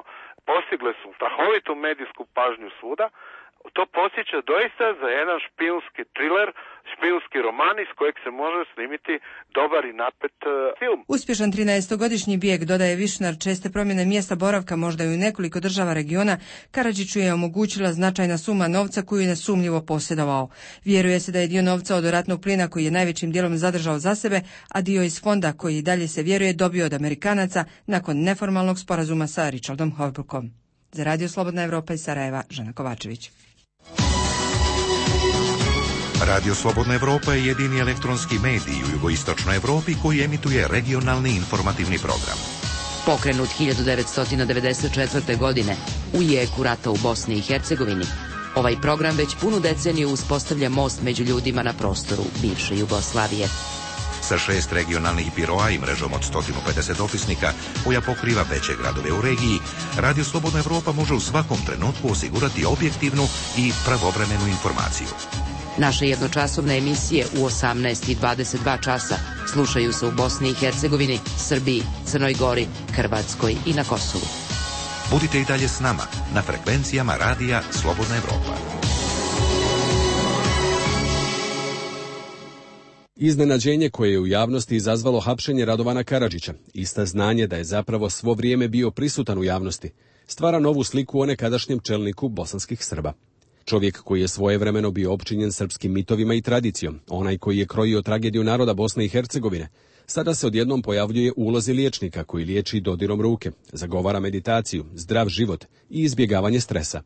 postigle su strahovitu medijsku pažnju svuda. To podsjeća doista za jedan špijunski thriller, špijunski roman iz kojeg se može snimiti dobar i napet film. Uspješan 13-godišnji bijeg, dodaje Višnar, česte promjene mjesta boravka možda i u nekoliko država regiona, Karadžiću je omogućila značajna suma novca koju je nesumnjivo posjedovao. Vjeruje se da je dio novca od ratnog plina koji je najvećim dijelom zadržao za sebe, a dio iz fonda koji i dalje se vjeruje dobio od Amerikanaca nakon neformalnog sporazuma sa Richardom Holbrookom. Za Radio Slobodna Evropa iz Sarajeva, Žana Kovačević. Radio Slobodna Evropa je jedini elektronski medij u jugoistočnoj Evropi koji emituje regionalni informativni program. Pokrenut 1994. godine u jeku rata u Bosni i Hercegovini, ovaj program već punu deceniju uspostavlja most među ljudima na prostoru bivše Jugoslavije. Sa 6 regionalnih biroa i mrežom od 150 dopisnika koja pokriva veće gradove u regiji, Radio Slobodna Evropa može u svakom trenutku osigurati objektivnu i pravovremenu informaciju. Naše jednočasovne emisije u 18 i 22 časa slušaju se u Bosni i Hercegovini, Srbiji, Crnoj Gori, Hrvatskoj i na Kosovu. Budite i dalje s nama na frekvencijama Radija Slobodna Evropa. Iznenađenje koje je u javnosti izazvalo hapšenje Radovana Karadžića, ista znanje da je zapravo svo vrijeme bio prisutan u javnosti, stvara novu sliku o nekadašnjem čelniku bosanskih Srba. Čovjek koji je svojevremeno bio opčinjen srpskim mitovima i tradicijom, onaj koji je krojio tragediju naroda Bosne i Hercegovine, sada se odjednom pojavljuje u ulozi liječnika koji liječi dodirom ruke, zagovara meditaciju, zdrav život i izbjegavanje stresa.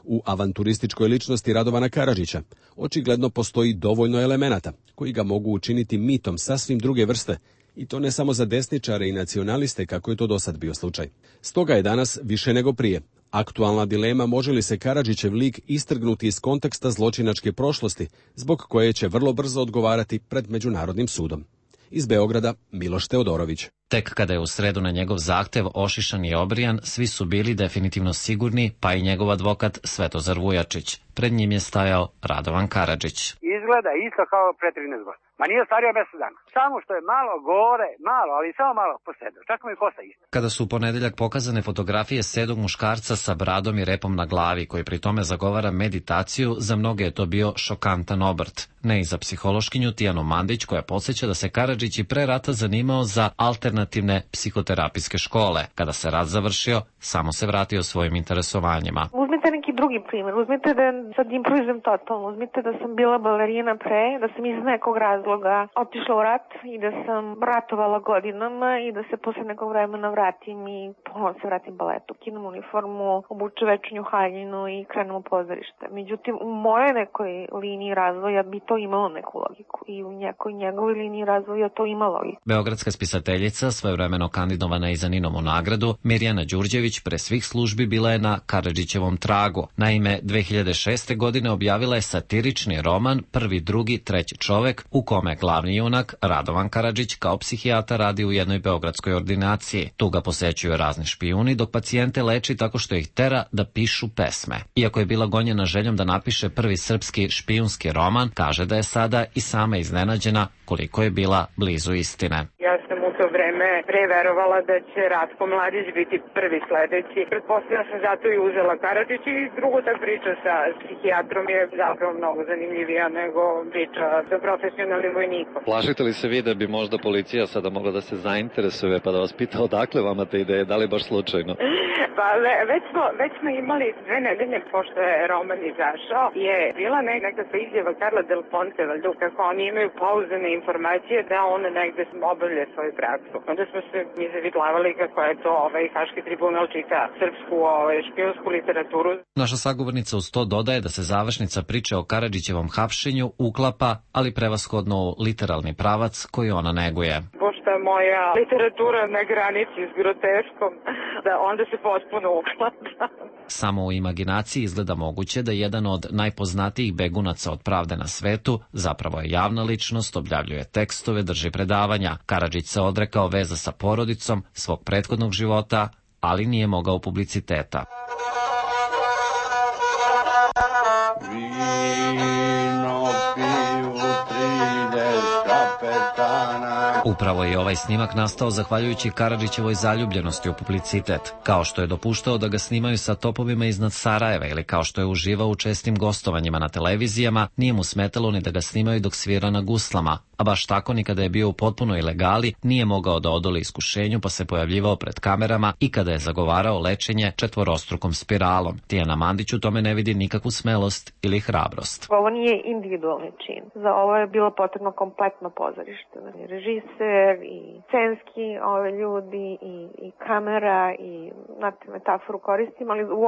U avanturističkoj ličnosti Radovana Karadžića očigledno postoji dovoljno elemenata koji ga mogu učiniti mitom sasvim druge vrste, i to ne samo za desničare i nacionaliste kako je to dosad bio slučaj. Stoga je danas više nego prije aktualna dilema može li se Karadžićev lik istrgnuti iz konteksta zločinačke prošlosti, zbog koje će vrlo brzo odgovarati pred Međunarodnim sudom. Iz Beograda Miloš Teodorović. Tek kada je u sredu na njegov zahtev ošišan i obrijan, svi su bili definitivno sigurni, pa i njegov advokat Svetozar Vujačić. Pred njim je stajao Radovan Karadžić. Izgleda isto kao pre 13 godina. Ma nije stario 10 dana. Samo što je malo gore, malo, ali samo malo posedio. Čak mu i kosa isto. Kada su u ponedeljak pokazane fotografije sedog muškarca sa bradom i repom na glavi, koji pri tome zagovara meditaciju, za mnoge je to bio šokantan obrt. Ne i za psihološkinju Tijanu Mandić, koja podsjeća da se Karadžić i pre rata zanimao za alternativne psihoterapijske škole. Kada se rat završio, samo se vratio svojim interesovanjima. Uzmite neki drugi primjer. Uzmite da sad improvizujem totalno. Uzmite da sam bila balerina pre, da sam iz nekog razloga otišla u rat i da sam ratovala godinama i da se posle nekog vremena vratim i ponovno se vratim baletu. Kinem uniformu, obuče večernju haljinu i krenem u pozorište. Međutim, u mojoj nekoj liniji razvoja bi to imalo neku logiku i u nekoj njegovoj liniji razvoja to ima logiku. Beogradska spisateljica, svojevremeno kandidovana i za Ninovu nagradu, Mirjana Đurđević pre svih službi bila je na Karadžićevom tragu. Naime, 2006. godine objavila je satirični roman Prvi, drugi, treći čovek, u kome glavni junak Radovan Karadžić kao psihijatar radi u jednoj beogradskoj ordinaciji. Tu ga posećuju razni špijuni, dok pacijente leči tako što ih tera da pišu pesme. Iako je bila gonjena željom da napiše prvi srpski špijunski roman, kaže da je sada i sama iznenađena koliko je bila blizu istine. Ja sam u to vreme preverovala da će Ratko Mladić biti prvi sledeći. Pretpostavljam sam zato i uzela Karadžić i drugo ta priča sa psihijatrom je zapravo mnogo zanimljivija nego priča sa profesionalnim vojnikom. Plašite li se vi da bi možda policija sada mogla da se zainteresuje pa da vas pita odakle vama te ideje, da li baš slučajno? Pa već smo imali 2 nedelje pošto je roman izašao, je bila nekakva izjava Karla Del Ponte, valjda, kako oni imaju pouzdane informacije da on negde obavlja svoju praksu. Onda smo se mi zavitlavali kako je to Haški tribunal čita srpsku špijunsku literaturu. Naša sagovornica uz to dodaje da se završnica priče o Karadžićevom hapšenju uklapa, ali prevashodno u literalni pravac koji ona neguje. Pošto je moja literatura na granici s groteskom, da onda se potpuno uklapa. Samo u imaginaciji izgleda moguće da jedan od najpoznatijih begunaca od pravde na svetu zapravo je javna ličnost, objavljuje tekstove, drži predavanja. Karadžić se odrekao veza sa porodicom, svog prethodnog života, ali nije mogao publiciteta. Upravo je ovaj snimak nastao zahvaljujući Karadžićevoj zaljubljenosti u publicitet, kao što je dopuštao da ga snimaju sa topovima iznad Sarajeva ili kao što je uživao u čestim gostovanjima na televizijama, nije mu smetalo ni da ga snimaju dok svira na guslama, a baš tako ni kada je bio u potpunoj ilegali, nije mogao da odoli iskušenju pa se pojavljivao pred kamerama i kada je zagovarao lečenje četvorostrukom spiralom. Tijana Mandić u tome ne vidi nikakvu smelost ili hrabrost. Ovo nije individualni čin. Za ovo je bilo potrebno kompletno pozorište. Režiser i scenski ljudi i kamera i metaforu koristim, ali u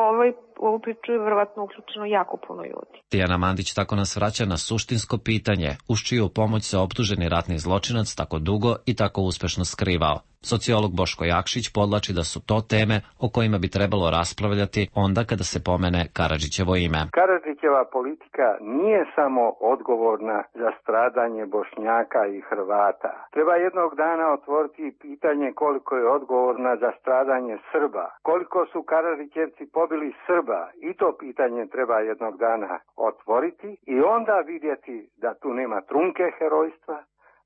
ovu priču je verovatno uključeno jako puno ljudi. Tijana Mandić tako nas vraća na suštinsko pitanje, uz čiju pomoć se optuženi ratni zločinac tako dugo i tako uspešno skrivao. Sociolog Boško Jakšić podlači da su to teme o kojima bi trebalo raspravljati onda kada se pomene Karadžićevo ime. Karadžićeva politika nije samo odgovorna za stradanje Bošnjaka i Hrvata. Treba jednog dana otvoriti pitanje koliko je odgovorna za stradanje Srba. Koliko su Karadžićevci pobili Srba, i to pitanje treba jednog dana otvoriti i onda vidjeti da tu nema trunke herojstva,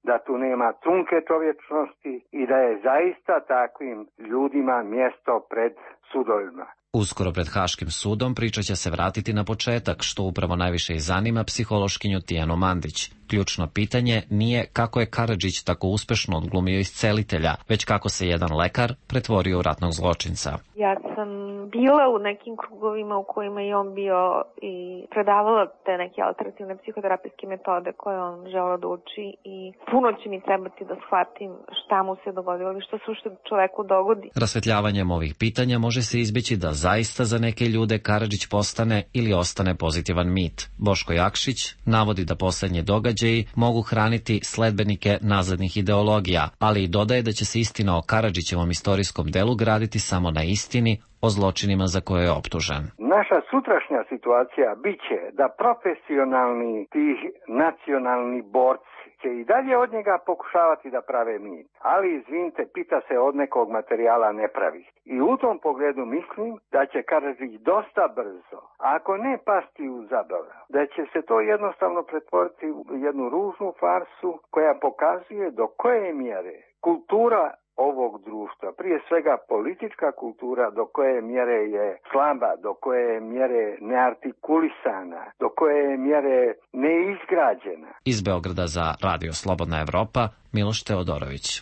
da tu nema trunke čovječnosti i da je zaista takvim ljudima mjesto pred sudovima. Uskoro pred Haškim sudom priča će se vratiti na početak, što upravo najviše i zanima psihološkinju Tijanu Mandić. Ključno pitanje nije kako je Karadžić tako uspešno odglumio iscelitelja, već kako se jedan lekar pretvorio u ratnog zločinca. Ja sam bila u nekim krugovima u kojima je on bio i predavala te neke alternativne psihoterapijske metode koje on želeo da uči i puno će mi trebati da shvatim šta mu se dogodilo ili što se uopšte čoveku dogodi. Rasvetljavanjem ovih pitanja može se izbeći da zaista za neke ljude Karadžić postane ili ostane pozitivan mit. Boško Jakšić navodi da poslednje događaji mogu hraniti sledbenike nazadnih ideologija, ali i dodaje da će se istina o Karadžićevom istorijskom delu graditi samo na istini o zločinima za koje je optužen. Naša sutrašnja situacija biće da profesionalni tih nacionalni borci će i dalje od njega pokušavati da prave mit. Ali, izvinite, pita se od nekog materijala ne pravi. I u tom pogledu mislim da će Karadžić dosta brzo, ako ne pasti u zaborav, da će se to jednostavno pretvoriti u jednu ružnu farsu koja pokazuje do koje mjere kultura ovog društva, prije svega politička kultura, do koje mjere je slaba, do koje mjere neartikulisana, do koje mjere neizgrađena. Iz Beograda za Radio Slobodna Evropa, Miloš Teodorović.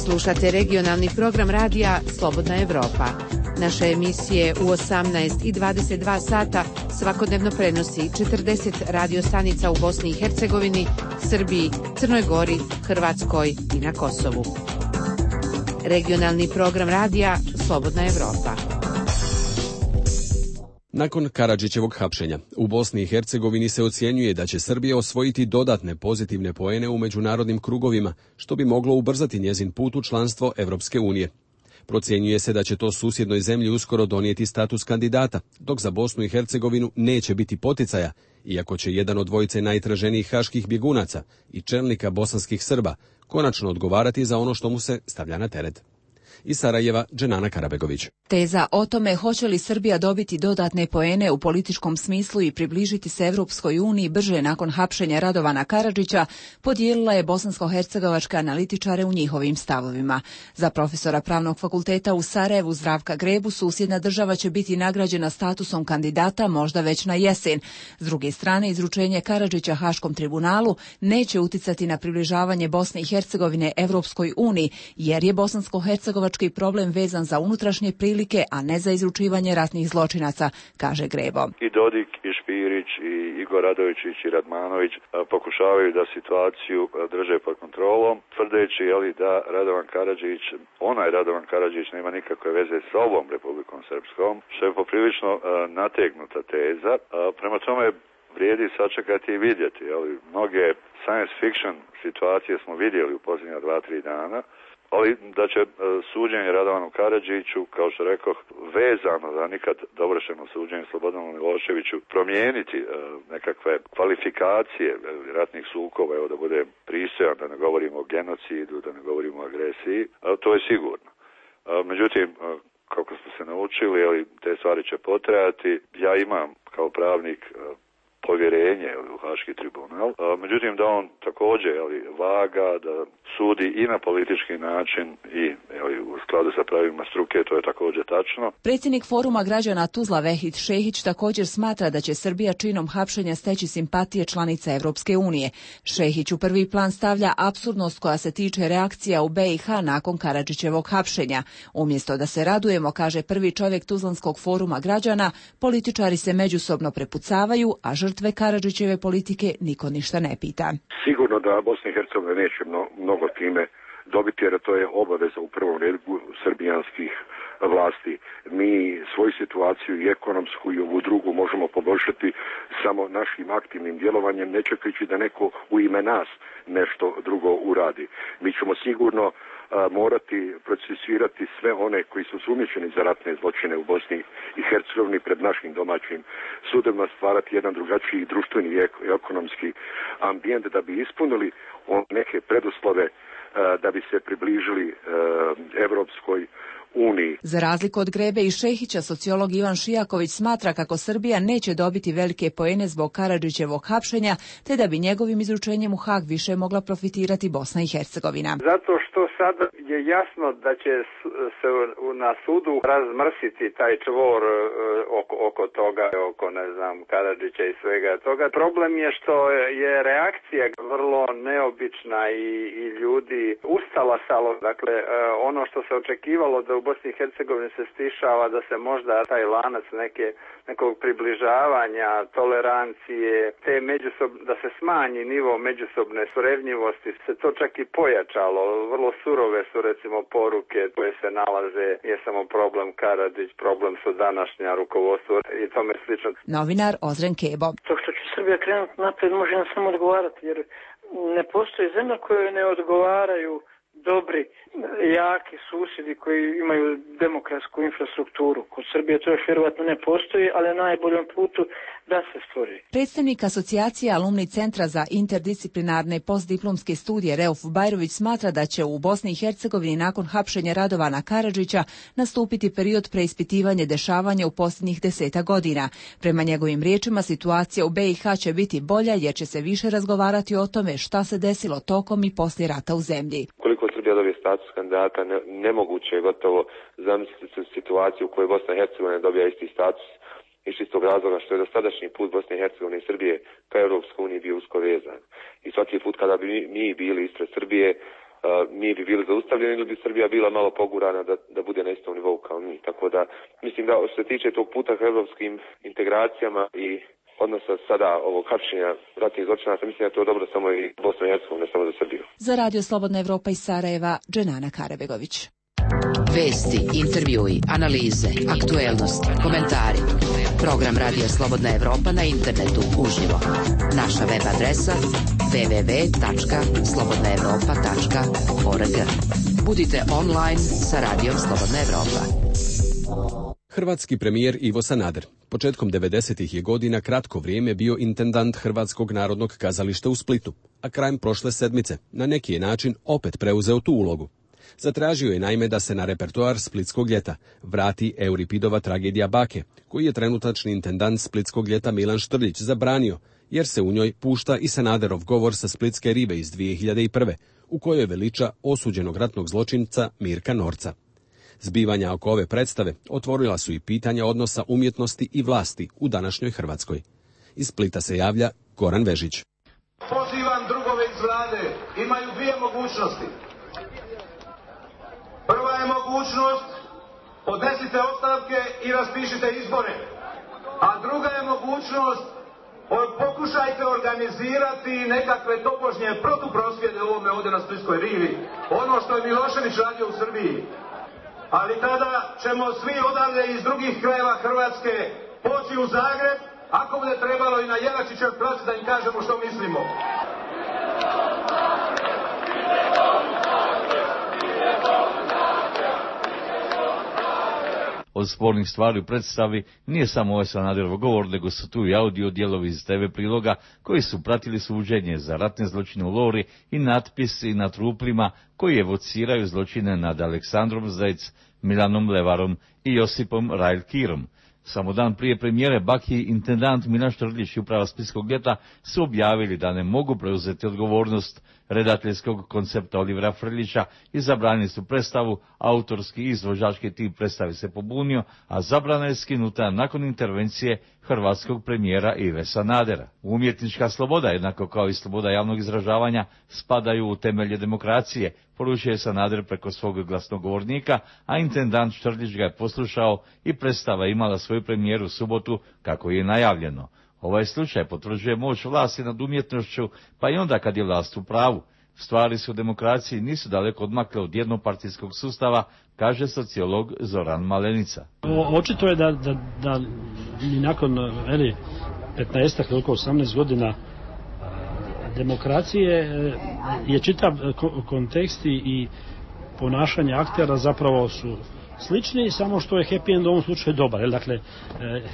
Slušate regionalni program radija Slobodna Evropa. Naše emisije u 18 i 22 sata svakodnevno prenosi 40 radiostanica u Bosni i Hercegovini, Srbiji, Crnoj Gori, Hrvatskoj i na Kosovu. Regionalni program radija Slobodna Evropa. Nakon Karadžićevog hapšenja, u Bosni i Hercegovini se ocjenjuje da će Srbija osvojiti dodatne pozitivne poene u međunarodnim krugovima, što bi moglo ubrzati njezin put u članstvo Evropske unije. Procjenjuje se da će to susjednoj zemlji uskoro donijeti status kandidata, dok za Bosnu i Hercegovinu neće biti poticaja, iako će jedan od dvojice najtraženijih haških bjegunaca i čelnika bosanskih Srba konačno odgovarati za ono što mu se stavlja na teret. Iz Sarajeva, Dženana Karabegović. Teza o tome hoće li Srbija dobiti dodatne poene u političkom smislu i približiti se Evropskoj uniji brže nakon hapšenja Radovana Karadžića podijelila je bosansko-hercegovačke analitičare u njihovim stavovima. Za profesora Pravnog fakulteta u Sarajevu Zdravka Grebu susjedna država će biti nagrađena statusom kandidata možda već na jesen. S druge strane, izručenje Karadžića Haškom tribunalu neće uticati na približavanje Bosne i Hercegovine Evropskoj uniji, jer je bosansko-hercegovački problem vezan za unutrašnje prilike, a ne za izručivanje ratnih zločinaca, kaže Grebo. I Dodik, i Špirić, i Igor Radovičić, i Radmanović pokušavaju da situaciju drže pod kontrolom, tvrdeći da Radovan Karadžić nema nikakve veze s ovom Republikom Srpskom, što je poprilično nategnuta teza. Prema tome vrijedi sačekati i vidjeti. Mnoge science fiction situacije smo vidjeli u posljednja 2-3 dana, ali da će suđenje Radovanu Karadžiću, kao što rekoh, vezano za nikad dovršeno suđenje Slobodanu Miloševiću, promijeniti nekakve kvalifikacije ratnih sukoba, da bude pristojan, da ne govorimo o genocidu, da ne govorimo o agresiji, to je sigurno. Međutim, kako smo se naučili, te stvari će potrajati. Ja imam kao pravnik povjerenje u Haški tribunal. Međutim, da on također vaga, da sudi i na politički način i u skladu sa pravilima struke, to je također tačno. Predsjednik Foruma građana Tuzla Vehid Šehić također smatra da će Srbija činom hapšenja steći simpatije članica Evropske unije. Šehić u prvi plan stavlja apsurdnost koja se tiče reakcija u BiH nakon Karadžićevog hapšenja. Umjesto da se radujemo, kaže prvi čovjek Tuzlanskog foruma građana, političari se međusobno prepucavaju, a žrtve Karadžićeve politike niko ništa ne pita. Sigurno da Bosna i Hercegovina neće mnogo time dobiti, jer to je obaveza u prvom redu srbijanskih vlasti. Mi svoju situaciju i ekonomsku i ovu drugu možemo poboljšati samo našim aktivnim djelovanjem, ne čekajući da neko u ime nas nešto drugo uradi. Mi ćemo sigurno morati procesuirati sve one koji su sumnjičeni za ratne zločine u Bosni i Hercegovini pred našim domaćim sudovima, stvarati jedan drugačiji društveni i ekonomski ambijent da bi ispunili neke preduslove da bi se približili Evropskoj uniji. Za razliku od Grebe i Šehića, sociolog Ivan Šijaković smatra kako Srbija neće dobiti velike poene zbog Karadžićevog hapšenja, te da bi njegovim izručenjem u Hag više mogla profitirati Bosna i Hercegovina. Zato što sad je jasno da će se na sudu razmrsiti taj čvor oko toga, oko Karadžića i svega toga. Problem je što je reakcija vrlo neobična i ljudi ustala salo. Dakle, ono što se očekivalo da u Bosni i Hercegovini se stišava, da se možda taj lanac nekog približavanja, tolerancije, da se smanji nivo međusobne surevnjivosti, se to čak i pojačalo. Vrlo surove su recimo poruke koje se nalaze, nije samo problem Karadžić, problem su današnja rukovodstvo i tome slično. Novinar Ozren Kebo. To što će Srbija krenuti napred može nam samo odgovarati, jer ne postoji zemlja koje ne odgovaraju dobri, jaki susjedi koji imaju demokratsku infrastrukturu. Kod Srbije to još vjerovatno ne postoji, ali na najboljem putu da se stvori. Predstavnik asocijacije Alumni centra za interdisciplinarne postdiplomske studije Reuf Bajrović smatra da će u Bosni i Hercegovini nakon hapšenja Radovana Karadžića nastupiti period preispitivanja dešavanja u posljednjih 10 godina. Prema njegovim riječima, situacija u BiH će biti bolja jer će se više razgovarati o tome šta se desilo tokom i poslije rata u zemlji. Koliko Srbija dobije status kandidata, nemoguće je gotovo zamisliti situaciju u kojoj Bosna i Hercegovina dobija isti status, iz čistog razloga što je dosadašnji put Bosne i Hercegovine i Srbije ka Europskoj uniji bio usko vezan. I svaki put kada bi mi bili ispred Srbije, mi bi bili zaustavljeni ili bi Srbija bila malo pogurana da bude na istom nivou kao mi. Tako da mislim da što se tiče tog puta ka europskim integracijama i odnosa sada ovog hapšenja ratnih zločinaca, mislim da je to dobro samo i Bosna i Hercegovina, ne samo za Srbiju. Za Radio Slobodna Evropa iz Sarajeva, Dženana Karabegović. Vesti, intervjui, analize, aktuelnosti, komentari. Program Radio Slobodna Evropa na internetu uživo. Naša web adresa www.slobodnaevropa.org. Budite online sa Radijom Slobodna Evropa. Hrvatski premijer Ivo Sanader početkom 90-ih je godina kratko vrijeme bio intendant Hrvatskog narodnog kazališta u Splitu, a krajem prošle sedmice na neki je način opet preuzeo tu ulogu. Zatražio je naime da se na repertoar Splitskog ljeta vrati Euripidova tragedija Bake, koji je trenutačni intendant Splitskog ljeta Milan Štrljić zabranio, jer se u njoj pušta i Sanaderov govor sa Splitske rive iz 2001. u kojoj veliča osuđenog ratnog zločinca Mirka Norca. Zbivanja oko ove predstave otvorila su i pitanja odnosa umjetnosti i vlasti u današnjoj Hrvatskoj. Iz Splita se javlja Goran Vežić. Pozivam drugove iz vlade, imaju dvije mogućnosti. Prva je mogućnost, podnesite ostavke i raspišite izbore. A druga je mogućnost, pokušajte organizirati nekakve tobožnje protuprosvjede ovome ovdje na Splitskoj rivi. Ono što je Milošević radio u Srbiji. Ali tada ćemo svi odavde iz drugih krajeva Hrvatske poći u Zagreb, ako bude trebalo i na Jelačićev plac da im kažemo što mislimo. Od spornih stvari u predstavi nije samo ovaj Sanaderov govor, nego su tu i audio dijelovi iz TV priloga koji su pratili suđenje za ratne zločine u Lori i natpisi na truplima koji evociraju zločine nad Aleksandrom Zec, Milanom Levarom i Josipom Rajl-Kirom. Samo dan prije premijere Baki intendant Milan Štrljić i uprava Splitskog ljeta su objavili da ne mogu preuzeti odgovornost redateljskog koncepta Olivera Frljića i zabranili su predstavu, autorski i izvođački tim predstavi se pobunio, a zabrana je skinuta nakon intervencije hrvatskog premijera Ive Sanadera. Umjetnička sloboda, jednako kao i sloboda javnog izražavanja, spadaju u temelje demokracije, poručuje Sanader preko svog glasnogovornika, a intendant Štrljić ga je poslušao i predstava imala svoju premijeru u subotu kako je najavljeno. Ovaj slučaj potvrđuje moć vlasti nad umjetnošću, pa i onda kad je vlast u pravu. Stvari su u demokraciji nisu daleko odmakle od jednopartijskog sustava, kaže sociolog Zoran Malenica. Očito je da ni nakon 15, koliko 18 godina demokracije je čitav kontekst i ponašanje aktera zapravo su slični, samo što je happy end u ovom slučaju dobar. Dakle,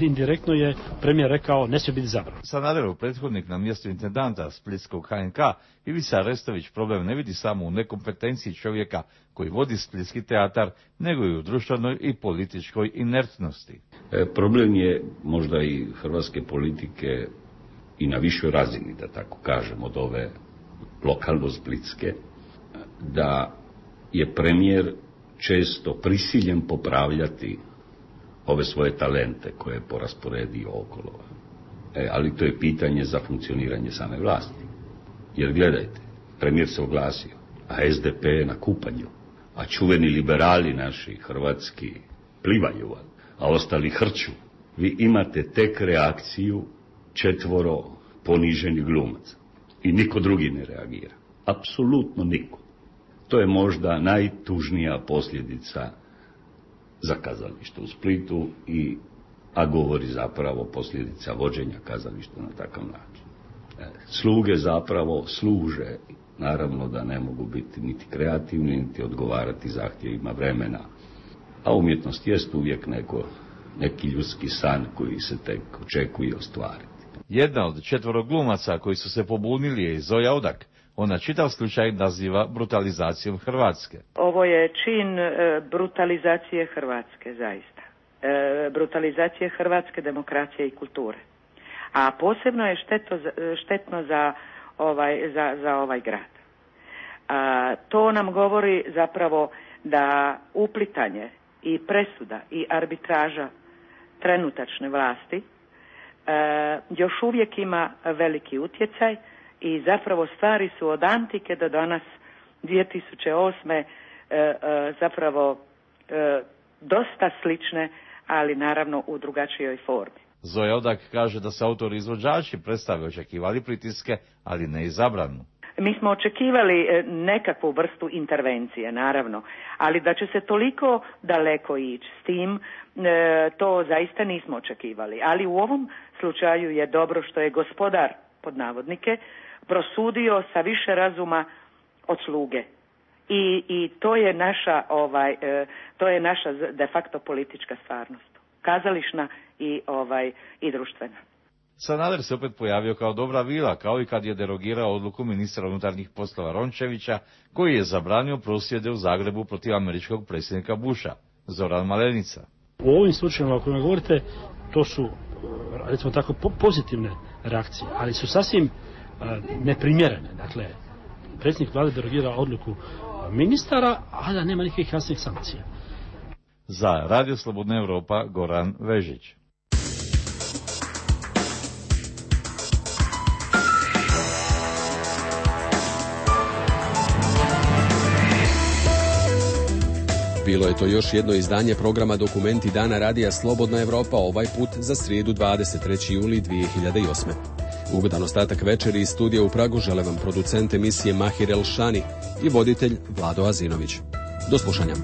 indirektno je premijer rekao ne smije biti zabran. Sanaderov prethodnik na mjestu intendanta splitskog HNK, Ivica Restović, problem ne vidi samo u nekompetenciji čovjeka koji vodi splitski teatar, nego i u društvenoj i političkoj inertnosti. Problem je možda i hrvatske politike i na višoj razini, da tako kažem, od ove lokalno-splitske, da je premijer često prisiljen popravljati ove svoje talente koje je porasporedio okolo. Ali to je pitanje za funkcioniranje same vlasti. Jer gledajte, premijer se oglasio, a SDP je na kupanju, a čuveni liberali naši, hrvatski, plivaju, a ostali hrču. Vi imate tek reakciju 4 poniženih glumaca. I niko drugi ne reagira. Apsolutno niko. To je možda najtužnija posljedica za kazalište u Splitu, a govori zapravo posljedica vođenja kazališta na takav način. Sluge zapravo služe, naravno da ne mogu biti niti kreativni, niti odgovarati zahtjevima vremena. A umjetnost jest uvijek neki ljudski san koji se tek očekuje ostvariti. Jedna od 4 glumaca koji su se pobunili je Zoja Odak. Ona čitav slučaj naziva brutalizacijom Hrvatske. Ovo je čin brutalizacije Hrvatske, zaista. Brutalizacije hrvatske demokracije i kulture. A posebno je štetno za ovaj grad. To nam govori zapravo da uplitanje i presuda i arbitraža trenutačne vlasti još uvijek ima veliki utjecaj i zapravo stvari su od antike do danas 2008. Zapravo dosta slične, ali naravno u drugačijoj formi. Zoja Odak kaže da se autori i izvođači predstave očekivali pritiske, ali ne i zabranu. Mi smo očekivali nekakvu vrstu intervencije, naravno, ali da će se toliko daleko ići s tim, to zaista nismo očekivali. Ali u ovom slučaju je dobro što je gospodar, pod navodnike, prosudio sa više razuma od sluge. I to je naša de facto politička stvarnost, kazališna i društvena. Sanader se opet pojavio kao dobra vila, kao i kad je derogirao odluku ministra unutarnjih poslova Rončevića, koji je zabranio prosvjede u Zagrebu protiv američkog predsjednika Busha. Zoran Malenica. U ovim slučajevima o kojima govorite, to su, recimo tako, pozitivne reakcije, ali su sasvim neprimjerene. Dakle, predsjednik vlade derogira odluku ministara, a da nema nikakvih jasnih sankcija. Za Radio Slobodna Europa, Goran Vežić. Bilo je to još jedno izdanje programa Dokumenti Dana Radija Slobodna Europa, ovaj put za srijedu 23. juli 2008. Ugodan ostatak večeri iz studija u Pragu žele vam producent emisije Mahir Elšani i voditelj Vlado Azinović. Do slušanja.